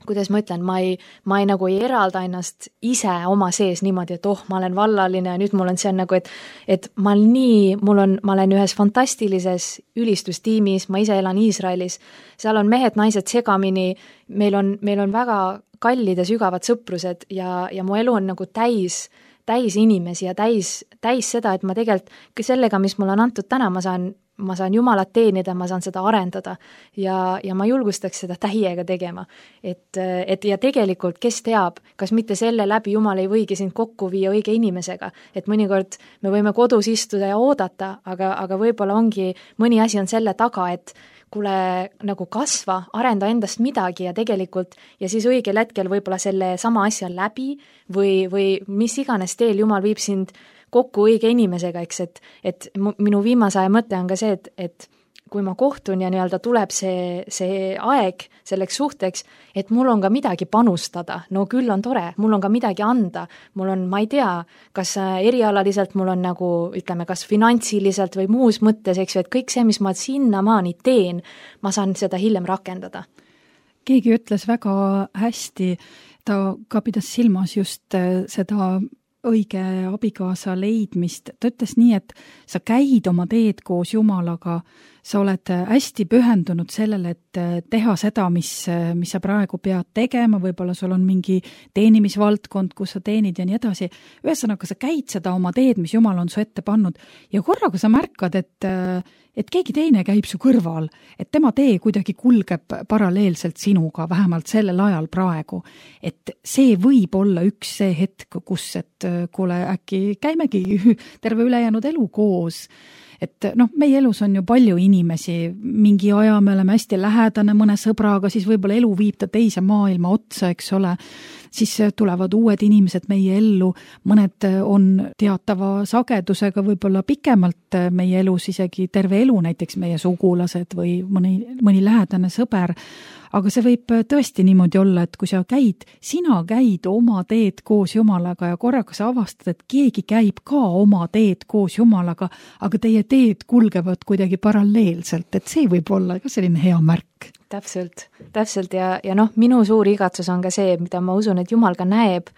kuidas ma ütlen, ma ei, ma ei nagu ei eralda ennast ise oma sees niimoodi, et oh, ma olen vallaline ja nüüd mul on see on nagu, et, et ma olen nii, mul on, ma olen ühes fantastilises ülistustiimis, ma ise elan Iisraelis, seal on mehed, naised segamini, meil on, meil on väga kallid ja sügavad sõprused ja, ja mu elu on nagu täis, täis inimesi ja täis, täis seda, et ma tegelikult sellega, mis mul on antud täna, ma saan ma saan Jumalat teenida, ma saan seda arendada ja, ja ma julgustaks seda täiega tegema. Et, et ja tegelikult, kes teab, kas mitte selle läbi Jumal ei võigi sind kokku viia õige inimesega, et mõnikord me võime kodus istuda ja oodata, aga, aga võib-olla ongi, mõni asi on selle taga, et kuule nagu kasva, arenda endast midagi ja tegelikult ja siis õigel hetkel võib-olla selle sama asja läbi või, või mis iganes teel Jumal viib sind kokku õige inimesega, eks, et, et minu viimase aja mõte on ka see, et, et kui ma kohtun ja nii-öelda tuleb see, see aeg selleks suhteks, et mul on ka midagi panustada, no küll on tore, mul on ka midagi anda, mul on, ma ei tea, kas erialaliselt mul on nagu, ütleme, kas finantsiliselt või muus mõttes, eks ju, et kõik see, mis ma sinnamaani teen, ma saan seda hiljem rakendada. Keegi ütles väga hästi, ta ka pidas silmas just seda õige abikaasa leidmist. Ta ütles nii, et sa käid oma teed koos Jumalaga, sa oled hästi pühendunud sellele, et teha seda, mis, mis sa praegu pead tegema, võib-olla sul on mingi teenimisvaldkond, kus sa teenid ja nii edasi. Ühesõnaga, sa käid seda oma teed, mis Jumal on su ette pannud ja korraga sa märkad, et, et keegi teine käib su kõrval, et tema tee kuidagi kulgeb paralleelselt sinuga, vähemalt sellel ajal praegu. Et see võib olla üks see hetk, kus, et kuule, äkki käimegi terve ülejäänud elu koos. Et noh, meie elus on ju palju inimesi, mingi aja me oleme hästi lähedane mõne sõbraga, siis võib-olla elu viib ta teise maailma otsa, eks ole, siis tulevad uued inimesed meie ellu, mõned on teatava sagedusega võib-olla pikemalt meie elus, isegi terve elu, näiteks meie sugulased või mõni, mõni lähedane sõber, aga see võib tõesti niimoodi olla, et kui sa käid, sina käid oma teed koos Jumalaga ja korraga sa avastad, et keegi käib ka oma teed koos Jumalaga, aga teie teed kulgevad kuidagi paralleelselt, et see võib olla ka selline hea märk. Täpselt, täpselt ja, ja noh, minu suur igatsus on ka see, mida ma usun, et Jumal ka näeb,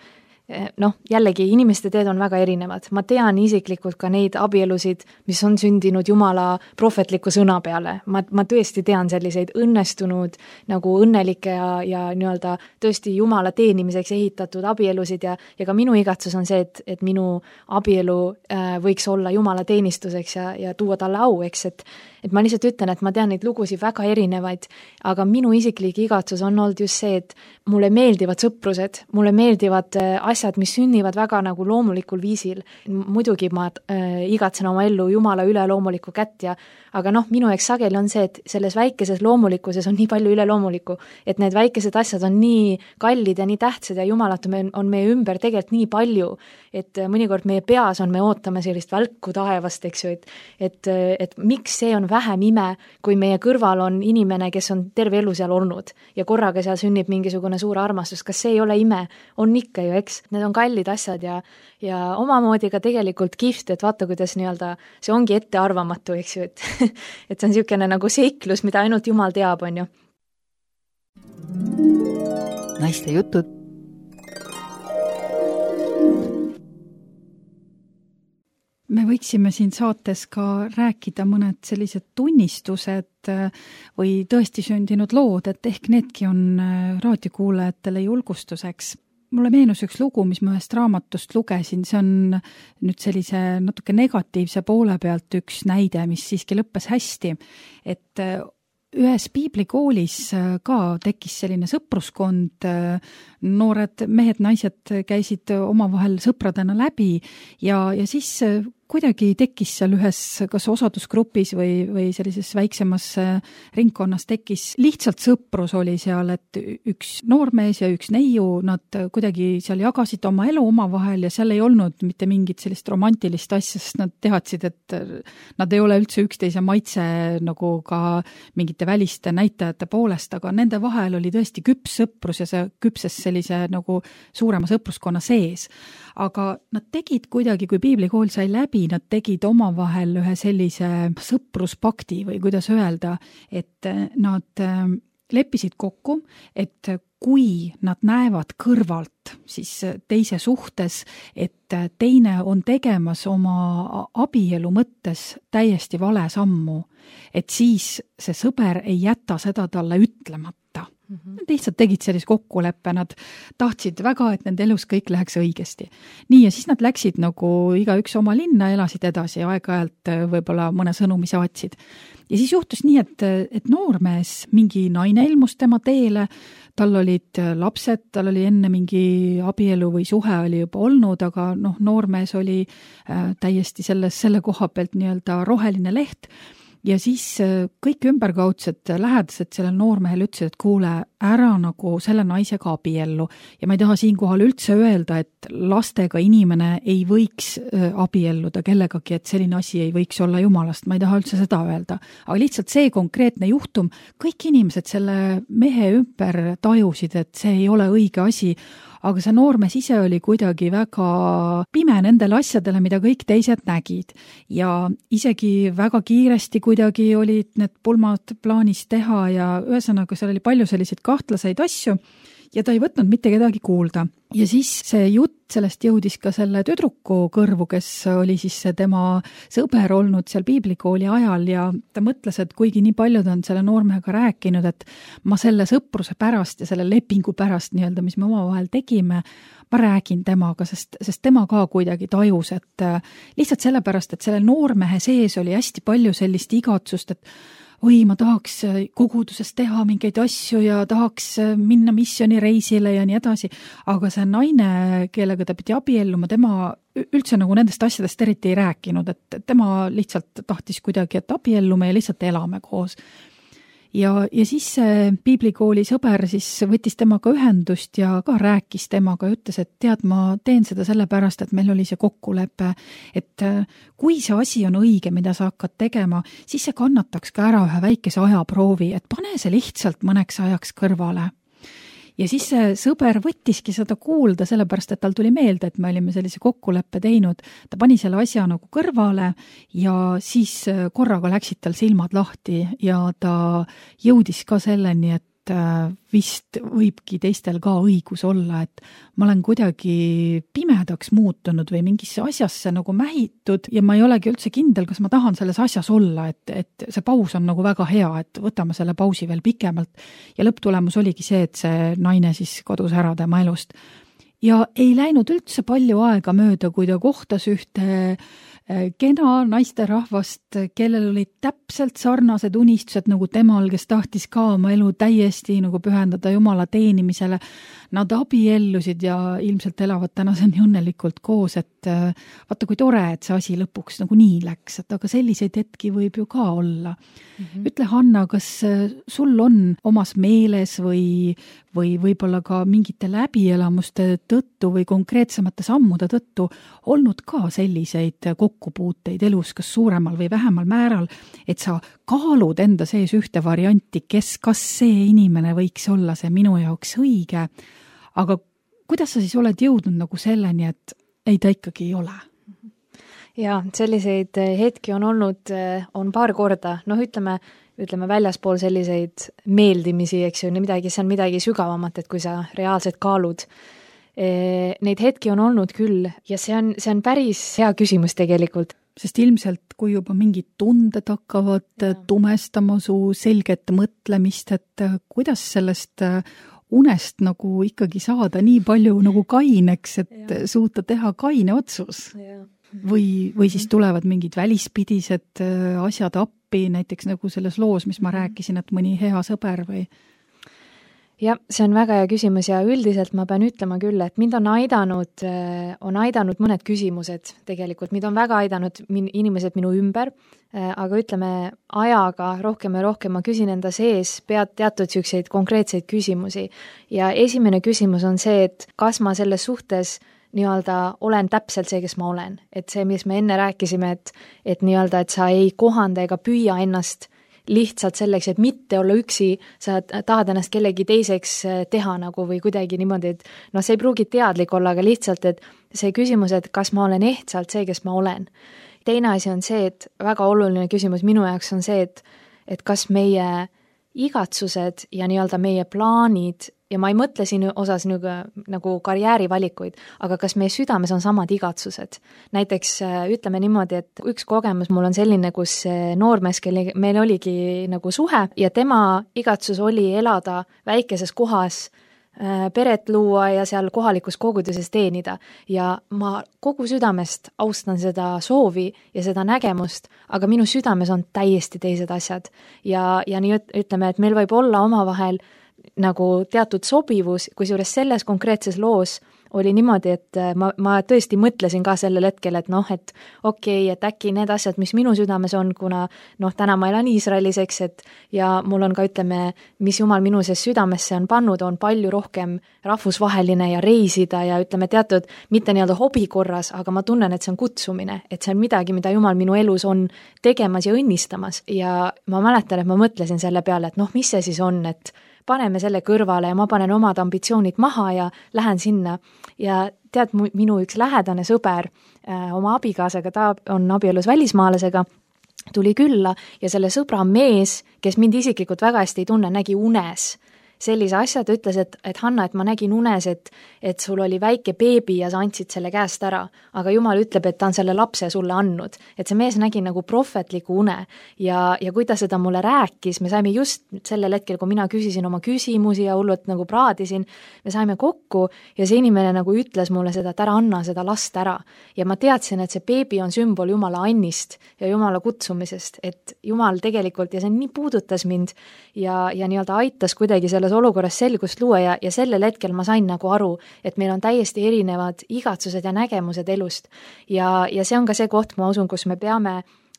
noh, jällegi inimeste teed on väga erinevad. Ma tean isiklikult ka neid abielusid, mis on sündinud Jumala prohvetliku sõna peale. Ma, ma tõesti tean selliseid õnnestunud, nagu õnnelikke ja, ja nii-öelda tõesti Jumala teenimiseks ehitatud abielusid ja, ja ka minu igatsus on see, et, et minu abielu äh, võiks olla Jumala teenistuseks ja, ja tuua talle au, eks, et et ma lihtsalt ütlen, et ma tean neid lugusid väga erinevaid, aga minu isiklik igatsus on olnud just see, et mulle meeldivad sõprused, mulle meeldivad asjad, mis sünnivad väga nagu loomulikul viisil. Muidugi ma äh, igatsen oma ellu Jumala üleloomulikku kätt ja aga noh, minu eks sageli on see, et selles väikeses loomulikkuses on nii palju üleloomulikku, et need väikesed asjad on nii kallid ja nii tähtsad ja Jumalat on meie ümber tegelikult nii palju, et mõnikord meie peas on, me ootame sellist välku taevast, eks ju, et, et, et miks see on vähem ime, kui meie kõrval on inimene, kes on terve elu seal olnud ja korraga seal sünnib mingisugune suur armastus, kas see ei ole ime? On ikka ju, eks? Need on kallid asjad ja, ja omamoodi ka tegelikult kihvt, et vaata, kuidas nii-öelda see ongi ettearvamatu, eks ju, et, et see on niisugune nagu seiklus, mida ainult Jumal teab, on ju. Naiste jutud. Me võiksime siin saates ka rääkida mõned sellised tunnistused või tõesti sündinud lood, et ehk needki on raadiokuulajatele julgustuseks. Mulle meenus üks lugu, mis ma ühest raamatust lugesin, see on nüüd sellise natuke negatiivse poole pealt üks näide, mis siiski lõppes hästi, et ühes piiblikoolis ka tekkis selline sõpruskond, noored mehed, naised käisid omavahel sõpradena läbi ja, ja siis kuidagi tekkis seal ühes kas osadusgrupis või, või sellises väiksemas ringkonnas tekkis, lihtsalt sõprus oli seal, et üks noormees ja üks neiu, nad kuidagi seal jagasid oma elu omavahel ja seal ei olnud mitte mingit sellist romantilist asja, sest nad teadsid, et nad ei ole üldse üksteise maitse nagu ka mingite väliste näitajate poolest, aga nende vahel oli tõesti küps sõprus ja see küpses sellise nagu suurema sõpruskonna sees. Aga nad tegid kuidagi, kui piiblikool sai läbi, nad tegid omavahel ühe sellise sõpruspakti või kuidas öelda, et nad leppisid kokku, et kui nad näevad kõrvalt siis teise suhtes, et teine on tegemas oma abielu mõttes täiesti vale sammu, et siis see sõber ei jäta seda talle ütlemata. Nad lihtsalt tegid sellise kokkuleppe, nad tahtsid väga, et nende elus kõik läheks õigesti. Nii, ja siis nad läksid nagu igaüks oma linna, elasid edasi ja aeg-ajalt võib-olla mõne sõnumi saatsid. Ja siis juhtus nii, et, et noormees, mingi naine ilmus tema teele, tal olid lapsed, tal oli enne mingi abielu või suhe oli juba olnud, aga noh, noormees oli äh, täiesti selles, selle koha pealt nii-öelda roheline leht. ja siis kõik ümberkaudsed lähedased sellel noormehel ütlesid, et kuule, ära nagu selle naisega abiellu. Ja ma ei taha siinkohal üldse öelda, et lastega inimene ei võiks abielluda kellegagi, et selline asi ei võiks olla jumalast. Ma ei taha üldse seda öelda. Aga lihtsalt see konkreetne juhtum, kõik inimesed selle mehe ümber tajusid, et see ei ole õige asi, aga see noormees ise oli kuidagi väga pime nendele asjadele, mida kõik teised nägid. Ja isegi väga kiiresti kuidagi olid need pulmad plaanis teha ja ühesõnaga seal oli palju selliseid kahtlaseid asju ja ta ei võtnud mitte kedagi kuulda. Ja siis see jutt sellest jõudis ka selle tüdruku kõrvu, kes oli siis tema sõber olnud seal piiblikooli ajal ja ta mõtles, et kuigi nii paljud on selle noormehega rääkinud, et ma selle sõpruse pärast ja selle lepingu pärast nii-öelda, mis me omavahel tegime, ma räägin temaga, sest, sest tema ka kuidagi tajus, et lihtsalt sellepärast, et selle noormehe sees oli hästi palju sellist igatsust, et oi, ma tahaks koguduses teha mingeid asju ja tahaks minna missioonireisile ja nii edasi, aga see naine, kellega ta pidi abielluma, tema üldse nagu nendest asjadest eriti ei rääkinud, et tema lihtsalt tahtis kuidagi, et abiellume ja lihtsalt elame koos. Ja, ja siis see piiblikooli sõber siis võttis temaga ühendust ja ka rääkis temaga ja ütles, et tead, ma teen seda sellepärast, et meil oli see kokkulepe, et kui see asi on õige, mida sa hakkad tegema, siis see kannataks ka ära ühe väikese ajaproovi, et pane see lihtsalt mõneks ajaks kõrvale. Ja siis see sõber võttiski seda kuulda, sellepärast, et tal tuli meelde, et me olime sellise kokkuleppe teinud. Ta pani selle asja nagu kõrvale ja siis korraga läksid tal silmad lahti ja ta jõudis ka selleni, et vist võibki teistel ka õigus olla, et ma olen kuidagi pimedaks muutunud või mingisse asjasse nagu mähitud ja ma ei olegi üldse kindel, kas ma tahan selles asjas olla, et, et see paus on nagu väga hea, et võtame selle pausi veel pikemalt ja lõpptulemus oligi see, et see naine siis kodus ära tema elust. Ja ei läinud üldse palju aega mööda, kui ta kohtas ühte kena naisterahvast, kellel olid täpselt sarnased unistused nagu temal, kes tahtis ka oma elu täiesti nagu pühendada Jumala teenimisele. Nad abiellusid ja ilmselt elavad tänaseni õnnelikult koos, et vaata kui tore, et see asi lõpuks nagu nii läks, et aga selliseid hetki võib ju ka olla. Mm-hmm. Ütle, Hanna, kas sul on omas meeles või, või võib-olla ka mingite läbielamuste tõttu või konkreetsemate sammude tõttu olnud ka selliseid kokkupuuteid elus, kas suuremal või vähemal määral, et sa kaalud enda sees ühte varianti, kes, kas see inimene võiks olla see minu jaoks õige, aga kuidas sa siis oled jõudnud nagu selleni, et ei, ta ikkagi ei ole? Ja selliseid hetki on olnud, on paar korda, noh ütleme, ütleme väljaspool selliseid meeldimisi, eks ju, midagi, see on midagi sügavamat, et kui sa reaalselt kaalud. Neid hetki on olnud küll ja see on, see on päris hea küsimus tegelikult. Sest ilmselt, kui juba mingid tunded hakkavad ja. tumestama su selget mõtlemist, et kuidas sellest unest nagu ikkagi saada nii palju nagu kaineks, et ja. suuta teha kaine otsus. Ja. Või, või siis tulevad mingid välispidised asjad appi, näiteks nagu selles loos, mis ma rääkisin, et mõni hea sõber või... Ja, see on väga hea küsimus ja üldiselt ma pean ütlema küll, et mind on aidanud, on aidanud mõned küsimused tegelikult, mind on väga aidanud min, inimesed minu ümber, aga ütleme ajaga rohkem ja rohkem ma küsin enda sees pead teatud selliseid konkreetseid küsimusi ja esimene küsimus on see, et kas ma selles suhtes nii-öelda olen täpselt see, kes ma olen, et see, mis me enne rääkisime, et, et nii-öelda, et sa ei kohanda ega püüa ennast lihtsalt selleks, et mitte olla üksi, sa tahad ennast kellegi teiseks teha nagu või kuidagi niimoodi, et noh, see ei pruugi teadlik olla, aga lihtsalt, et see küsimus, et kas ma olen ehtsalt see, kes ma olen. Teine asi on see, et väga oluline küsimus minu jaoks on see, et, et kas meie igatsused ja nii-öelda meie plaanid ja ma ei mõtle siin osas nagu, nagu karjäärivalikuid, aga kas meie südames on samad igatsused. Näiteks ütleme niimoodi, et üks kogemus mul on selline, kus noormees, kelle meil oligi nagu suhe ja tema igatsus oli elada väikeses kohas, peret luua ja seal kohalikus koguduses teenida. Ja ma kogu südamest austan seda soovi ja seda nägemust, aga minu südames on täiesti teised asjad. Ja, ja nii ütleme, et meil võib olla omavahel nagu teatud sobivus, kusjuures selles konkreetses loos oli niimoodi, et ma, ma tõesti mõtlesin ka sellel hetkel, et noh, et okei okay,, et äkki need asjad, mis minu südames on, kuna noh, täna ma elan Iisraelis, eks, et ja mul on ka, ütleme, mis Jumal minu sees südamesse on pannud, on palju rohkem rahvusvaheline ja reisida ja ütleme teatud, mitte nii-öelda hobi korras, aga ma tunnen, et see on kutsumine, et see on midagi, mida Jumal minu elus on tegemas ja õnnistamas ja ma mäletan, et ma mõtlesin selle peale, et noh, mis see siis on, et paneme selle kõrvale ja ma panen omad ambitsioonid maha ja lähen sinna ja tead, minu üks lähedane sõber äh, oma abikaasaga, ta on abielus välismaalasega, tuli külla ja selle sõbra mees, kes mind isiklikult väga hästi ei tunne, nägi unes sellise asja, ta ütles, et, et Hanna, et ma nägin unes, et, et sul oli väike beebi ja sa andsid selle käest ära, aga Jumal ütleb, et ta on selle lapse sulle andnud. Et see mees nägi nagu prohvetliku une ja, ja kui ta seda mulle rääkis, me saime just sellel hetkel, kui mina küsisin oma küsimusi ja hullult nagu praadisin, me saime kokku ja see inimene nagu ütles mulle seda, et ära anna seda last ära. Ja ma teadsin, et see beebi on sümbol Jumala annist ja Jumala kutsumisest, et Jumal tegelikult, ja see nii puudutas mind ja, ja nii-öelda aitas kuidagi selles olukorras selgust luua ja, ja sellel hetkel ma sain nagu aru, et meil on täiesti erinevad igatsused ja nägemused elust. Ja, ja see on ka see koht, ma usun, kus me peame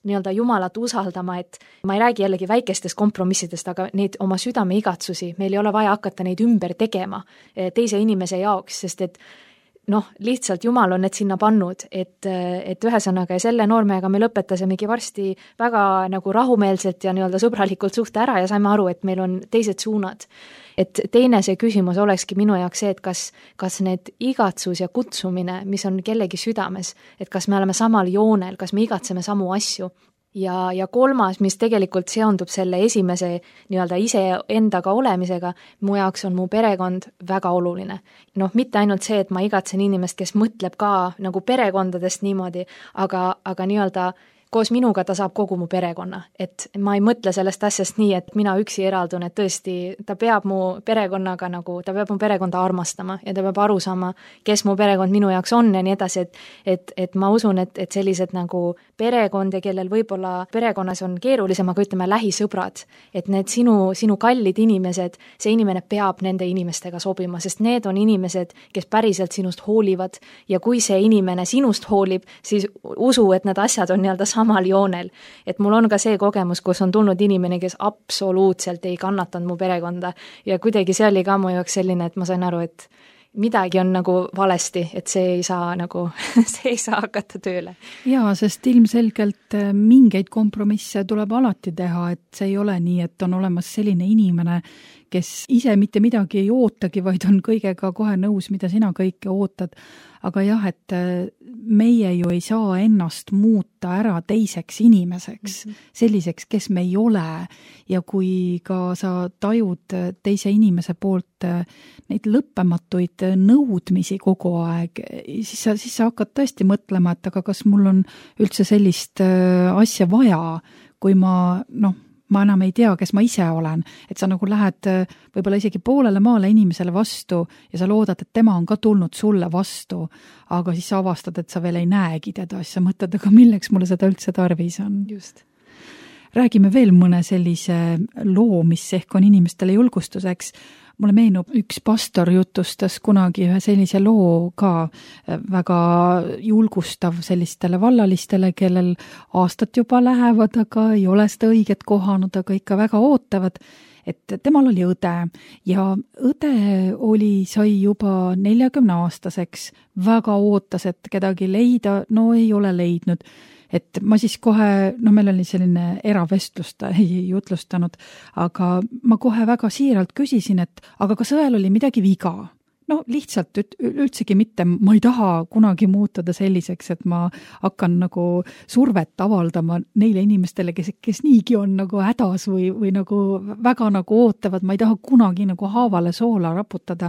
nii-öelda Jumalat usaldama, et ma ei räägi jällegi väikestest kompromissidest, aga neid oma südame igatsusi, meil ei ole vaja hakata neid ümber tegema teise inimese jaoks, sest et noh, lihtsalt Jumal on need sinna pannud, et, et ühesõnaga ja selle noormehega me lõpetasimegi varsti väga nagu rahumeelselt ja nii-öelda sõbralikult suhte ära ja saime aru, et meil on teised suunad. Et teine see küsimus olekski minu jaoks see, et kas, kas need igatsus ja kutsumine, mis on kellegi südames, et kas me oleme samal joonel, kas me igatseme samu asju. Ja, ja kolmas, mis tegelikult seondub selle esimese nii-öelda ise endaga olemisega, mu jaoks on mu perekond väga oluline. Noh, mitte ainult see, et ma igatsen inimest, kes mõtleb ka nagu perekondadest niimoodi, aga, aga nii-öelda koos minuga ta saab kogu mu perekonna, et ma ei mõtle sellest asjast nii, et mina üksi eraldun, et tõesti ta peab mu perekonnaga nagu, ta peab mu perekonda armastama ja ta peab aru saama, kes mu perekond minu jaoks on ja nii edasi, et, et, et ma usun, et, et sellised nagu perekond ja kellel võib-olla perekonnas on keerulisem, aga ütleme lähisõbrad, et need sinu, sinu kallid inimesed, see inimene peab nende inimestega sobima, sest need on inimesed, kes päriselt sinust hoolivad ja kui see inimene sinust hoolib, siis usu, et need asjad on nii-öelda samal joonel. Et mul on ka see kogemus, kus on tulnud inimene, kes absoluutselt ei kannatanud mu perekonda ja kuidagi see oli ka mu jaoks selline, et ma sain aru, et midagi on nagu valesti, et see ei saa nagu, see ei saa hakata tööle. Jaa, sest ilmselgelt mingeid kompromisse tuleb alati teha, et see ei ole nii, et on olemas selline inimene, kes ise mitte midagi ei ootagi, vaid on kõigega kohe nõus, mida sina kõike ootad. Aga jah, et meie ju ei saa ennast muuta ära teiseks inimeseks, mm-hmm. selliseks, kes me ei ole. Ja kui ka sa tajud teise inimese poolt neid lõppematuid nõudmisi kogu aeg, siis sa, siis sa hakkad tõesti mõtlema, et aga kas mul on üldse sellist asja vaja, kui ma, noh, ma enam ei tea, kes ma ise olen, et sa nagu lähed võib-olla isegi poolele maale inimesele vastu ja sa loodad, et tema on ka tulnud sulle vastu, aga siis sa avastad, et sa veel ei näegi teda, siis sa mõtled, aga milleks mulle seda üldse tarvis on. Just. Räägime veel mõne sellise loo, mis ehk on inimestele julgustuseks. Mulle meenub, üks pastor jutustas kunagi ühe sellise loo ka väga julgustav sellistele vallalistele, kellel aastat juba lähevad, aga ei ole seda õiget kohanud, aga ikka väga ootavad, et temal oli õde ja õde oli, sai juba neljakümne aastaseks, väga ootas, et kedagi leida, no ei ole leidnud. Et ma siis kohe, no meil oli selline eravestlus, ta ei jutlustanud, aga ma kohe väga siiralt küsisin, et aga kas õel oli midagi viga? No lihtsalt üldsegi mitte, ma ei taha kunagi muutuda selliseks, et ma hakkan nagu survet avaldama neile inimestele, kes, kes niigi on nagu hädas või, või nagu väga nagu ootavad, ma ei taha kunagi nagu haavale soola raputada.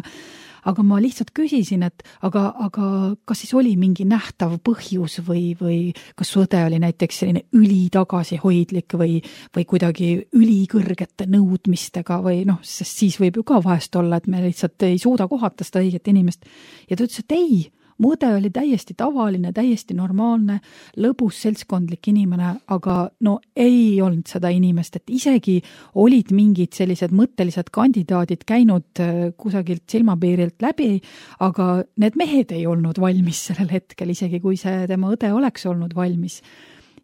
Aga ma lihtsalt küsisin, et aga, aga kas siis oli mingi nähtav põhjus või, või kas õde oli näiteks selline ülitagasihoidlik või, või kuidagi ülikõrgete nõudmistega või noh, sest siis võib ju ka vahest olla, et me lihtsalt ei suuda kohata seda õiget inimest. Ja ta ütles, et ei, mu õde oli täiesti tavaline, täiesti normaalne, lõbus seltskondlik inimene, aga no ei olnud seda inimest, et isegi olid mingid sellised mõttelised kandidaadid käinud kusagilt silmapiirilt läbi, aga need mehed ei olnud valmis sellel hetkel, isegi kui see tema õde oleks olnud valmis.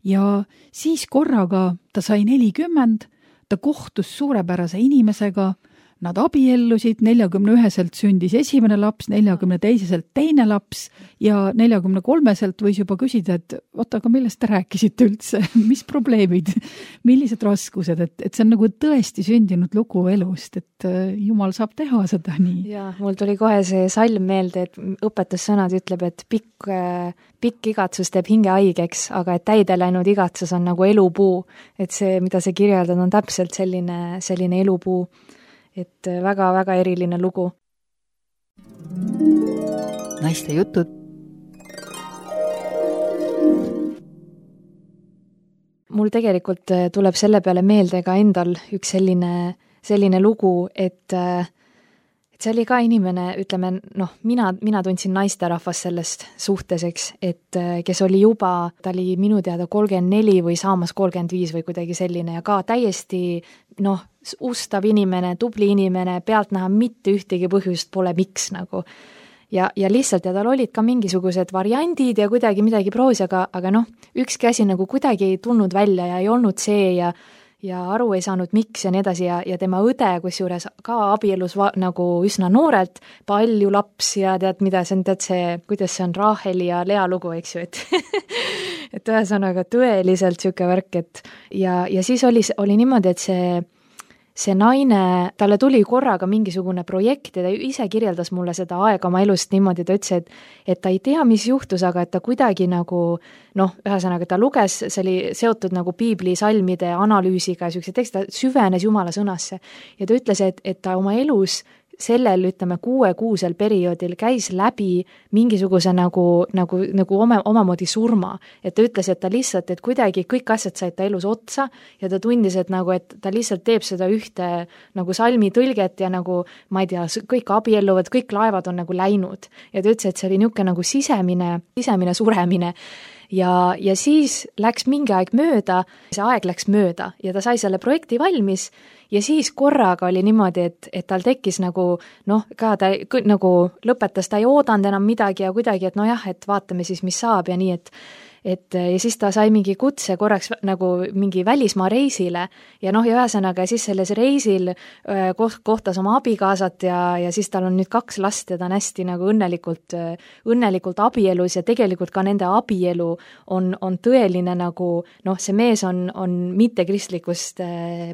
Ja siis korraga ta sai nelikümmend, ta kohtus suurepärase inimesega, nad abiellusid, neljakümne üheselt sündis esimene laps, neljakümne teiseselt teine laps ja neljakümne kolmeselt võis juba küsida, et oota, aga millest te rääkisite üldse, mis probleemid, millised raskused, et, et see on nagu tõesti sündinud lugu elust, et Jumal saab teha seda nii. Ja mul tuli kohe see salm meelde, et õpetussõnad ütleb, et pikk, pikk igatsus teeb hinge haigeks, aga et täide läinud igatsus on nagu elupuu, et see, mida see kirjeldad, on täpselt selline, selline elupuu. Et väga-väga eriline lugu. Naiste jutud. Mul tegelikult tuleb selle peale meelde ka endal üks selline, selline lugu, et, et see oli ka inimene, ütleme, noh, mina, mina tundsin naisterahvas sellest suhteseks, et kes oli juba, ta oli minu teada kolmkümmend neli või saamas kolmkümmend viis või kuidagi selline ja ka täiesti, noh, ustav inimene, tubli inimene, pealt näha mitte ühtegi põhjust pole miks nagu. Ja, ja lihtsalt, ja tal olid ka mingisugused variandid ja kuidagi midagi proovis, aga, aga noh, ükski asi nagu kuidagi ei tulnud välja ja ei olnud see ja, ja aru ei saanud miks ja nii edasi ja, ja tema õde, kusjuures ka abielus va, nagu üsna noorelt, palju lapsi ja tead, mida see on, tead see, kuidas see on Raheli ja Lea lugu, eks ju, et et ühesõnaga tõeliselt siuke värk, et ja, ja siis oli, oli niimoodi, et see see naine, talle tuli korraga mingisugune projekt ja ta ise kirjeldas mulle seda aega oma elust niimoodi, ta ütles, et, et ta ei tea, mis juhtus, aga et ta kuidagi nagu, noh, ühesõnaga ta luges, see oli seotud nagu piibli salmide analüüsiga ja sellised tekst, ta süvenes Jumala sõnasse ja ta ütles, et, et ta oma elus sellel, ütleme, kuuekuusel perioodil käis läbi mingisuguse nagu, nagu, nagu oma, omamoodi surma. Et ta ütles, et ta lihtsalt, et kuidagi kõik asjad said ta elus otsa ja ta tundis, et nagu, et ta lihtsalt teeb seda ühte nagu salmi tõlget ja nagu, ma ei tea, kõik abielluvad, kõik laevad on nagu läinud. Ja ta ütles, et see oli niisugune nagu sisemine, sisemine suremine. Ja, ja siis läks mingi aeg mööda, see aeg läks mööda ja ta sai selle projekti valmis ja siis korraga oli niimoodi, et, et tal tekkis nagu, noh, ka ta nagu lõpetas, ta ei oodanud enam midagi ja kuidagi, et nojah, et vaatame siis, mis saab ja nii, et et ja siis ta sai mingi kutse korraks nagu mingi välismaa reisile ja noh, ja ühesõnaga siis selles reisil koht, kohtas oma abikaasat ja, ja siis tal on nüüd kaks last ja ta on hästi nagu õnnelikult, õnnelikult abielus ja tegelikult ka nende abielu on, on tõeline nagu, noh, see mees on, on mittekristlikust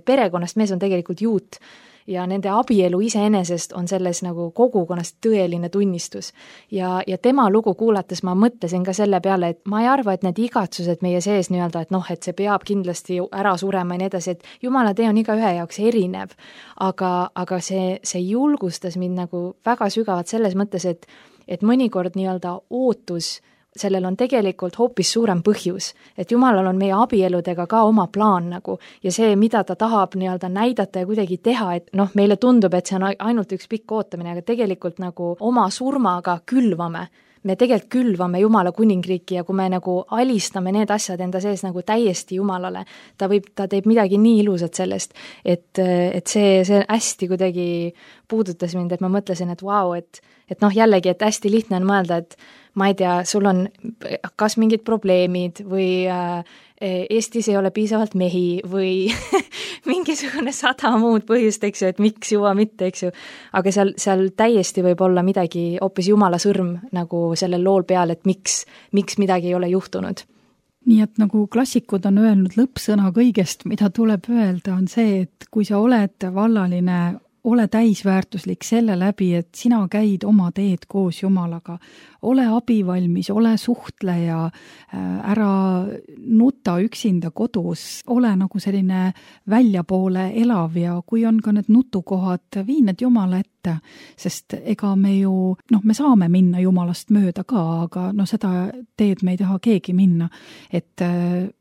perekonnast, mees on tegelikult juut ja nende abielu iseenesest on selles nagu kogukonnast tõeline tunnistus. Ja, ja tema lugu kuulates ma mõtlesin ka selle peale, et ma ei arva, et need igatsused meie sees nii-öelda, et noh, et see peab kindlasti ära surema ja nii edasi, et Jumala tee on iga ühe jaoks erinev, aga, aga see, see julgustas mind nagu väga sügavalt selles mõttes, et, et mõnikord nii-öelda ootus sellel on tegelikult hoopis suurem põhjus, et Jumalal on meie abieludega ka oma plaan nagu ja see, mida ta tahab nii-öelda näidata ja kuidagi teha, et noh, meile tundub, et see on ainult üks pikk ootamine, aga tegelikult nagu oma surmaga külvame, me tegelikult külvame Jumala kuningriiki ja kui me nagu alistame need asjad enda sees nagu täiesti Jumalale, ta võib, ta teeb midagi nii ilusat sellest, et, et see, see hästi kuidagi puudutas mind, et ma mõtlesin, et vau, wow, et, et noh, jällegi, et hästi lihtne on mõelda, et ma ei tea, sul on kas mingid probleemid või äh, Eestis ei ole piisavalt mehi või mingisugune sada muud põhjust, eks ju, et miks juba mitte, eks ju, aga seal, seal täiesti võib olla midagi, hoopis Jumala sõrm nagu sellel lool peal, et miks, miks midagi ei ole juhtunud. Nii et nagu klassikud on öelnud, lõppsõna kõigest, mida tuleb öelda, on see, et kui sa oled vallaline, ole täisväärtuslik selle läbi, et sina käid oma teed koos Jumalaga. Ole abivalmis, ole suhtleja, ära nuta üksinda kodus, ole nagu selline väljapoole elav ja kui on ka need nutukohad, vii need Jumala ette, sest ega me ju, noh, me saame minna Jumalast mööda ka, aga no seda teed me ei taha keegi minna. Et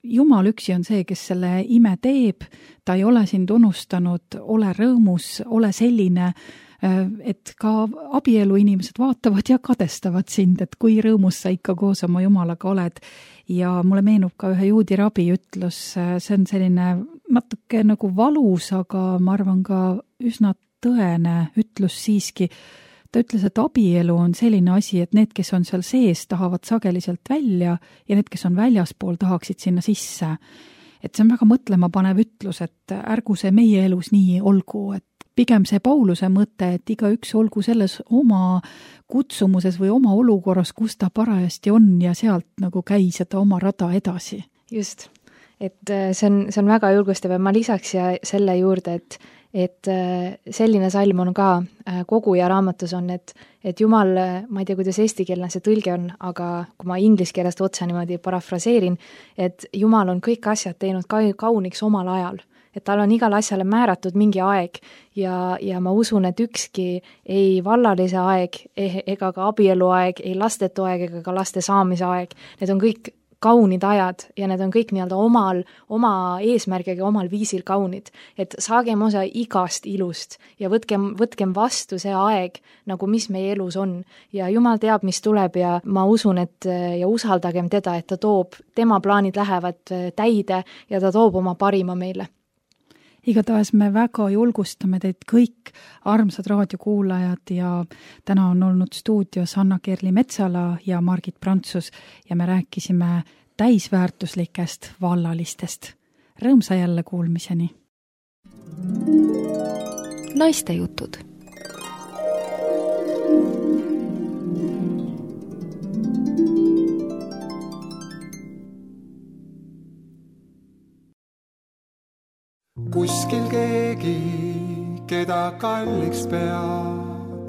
Jumal üksi on see, kes selle ime teeb, ta ei ole sind unustanud, ole rõõmus, ole selline, et ka abielu inimesed vaatavad ja kadestavad sind, et kui rõõmus sa ikka koos oma Jumalaga oled. Ja mulle meenub ka ühe juudi rabi ütlus, see on selline natuke nagu valus, aga ma arvan ka üsna tõene ütlus siiski. Ta ütles, et abielu on selline asi, et need, kes on seal sees, tahavad sageliselt välja ja need, kes on väljaspool, tahaksid sinna sisse. Et see on väga mõtlema panev ütlus, et ärgu see meie elus nii olgu, et pigem see Pauluse mõte, et iga üks olgu selles oma kutsumuses või oma olukorras, kus ta parajasti on ja sealt nagu käi seda oma rada edasi. Just, et see on, see on väga julgustav ja ma lisaks ja selle juurde, et et selline salm on ka koguja raamatus on, et, et Jumal, ma ei tea, kuidas eestikeelne see tõlge on, aga kui ma inglise keelest otsa niimoodi parafraseerin, et Jumal on kõik asjad teinud ka kauniks omal ajal, et tal on igal asjale määratud mingi aeg ja, ja ma usun, et ükski ei vallalise aeg ega ka abielu aeg, ei lastetu aeg ega ka laste saamise aeg, need on kõik kaunid ajad ja need on kõik nii-öelda omal, oma eesmärgiga omal viisil kaunid, et saagem osa igast ilust ja võtkem, võtkem vastu see aeg, nagu mis meie elus on ja Jumal teab, mis tuleb ja ma usun, et ja usaldagem teda, et ta toob, tema plaanid lähevad täide ja ta toob oma parima meile. Igatahes me väga julgustame teid kõik armsad raadiokuulajad ja täna on olnud stuudios Anna-Kerli Metsala ja Margit Prantsus ja me rääkisime täisväärtuslikest vallalistest. Rõõmsa jälle kuulmiseni. Naiste jutud. Kuskil keegi, keda kalliks pead,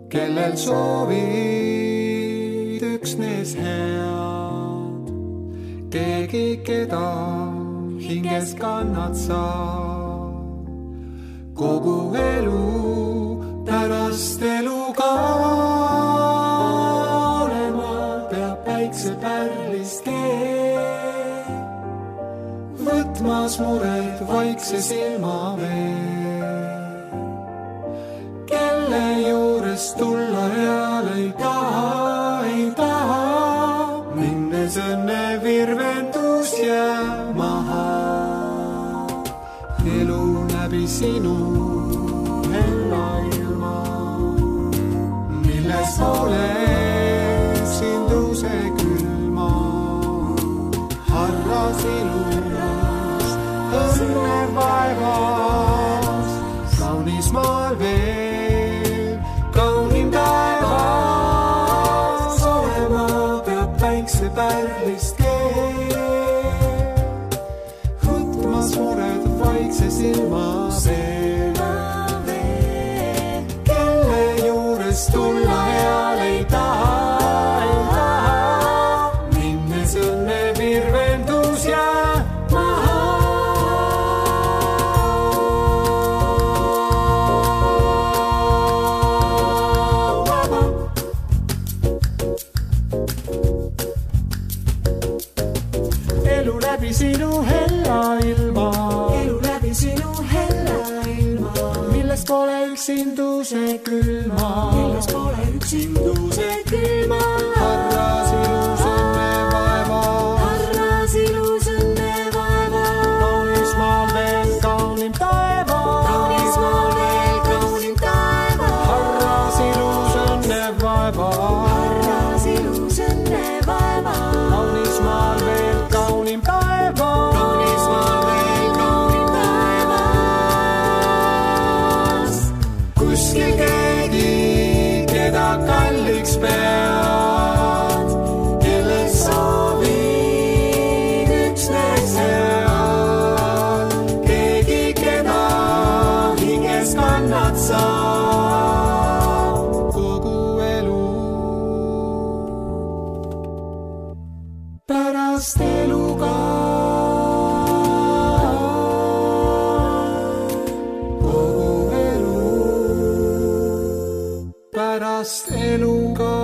kellel soovid üksnes head, keegi, keda hinges kannad sa, kogu elu pärast elu ka olema peab päikse pärlist keel. Võtmas mured vaikse silma veel, kelle juures tulla real ei taha, ei taha, minnes õnne virvendus jää maha. Elu läbi sinu hella ilma, milles ole sinduse külma, harras ilus õnne vaevas, kaunis maal veel, kaunim taevas, olema peab päikse pärlist keel, võtmas mured vaikse silma veel, kelle juures tulla heal ei taha, ei taha, minnes õnne virvendus jää maha. Sinu hella ilma, elu läbi sinu hella ilma, milles pole üksinduse külma, milles pole üksinduse külma, harras ilus õnne vaeva, harras ilus õnne vaeva, kaunis maal veel kaunim taeva, kaunis maal veel kaunim taeva, harras ilus õnne vaeva, harras ilus õnne vaeva, kaunis maal veel kaunim taeva. Kuskil keegi, keda kalliks pead, kellel soovid üksnes head, keegi, keda hinges kannad sa kogu elu pärast eluga. Pärast eluga.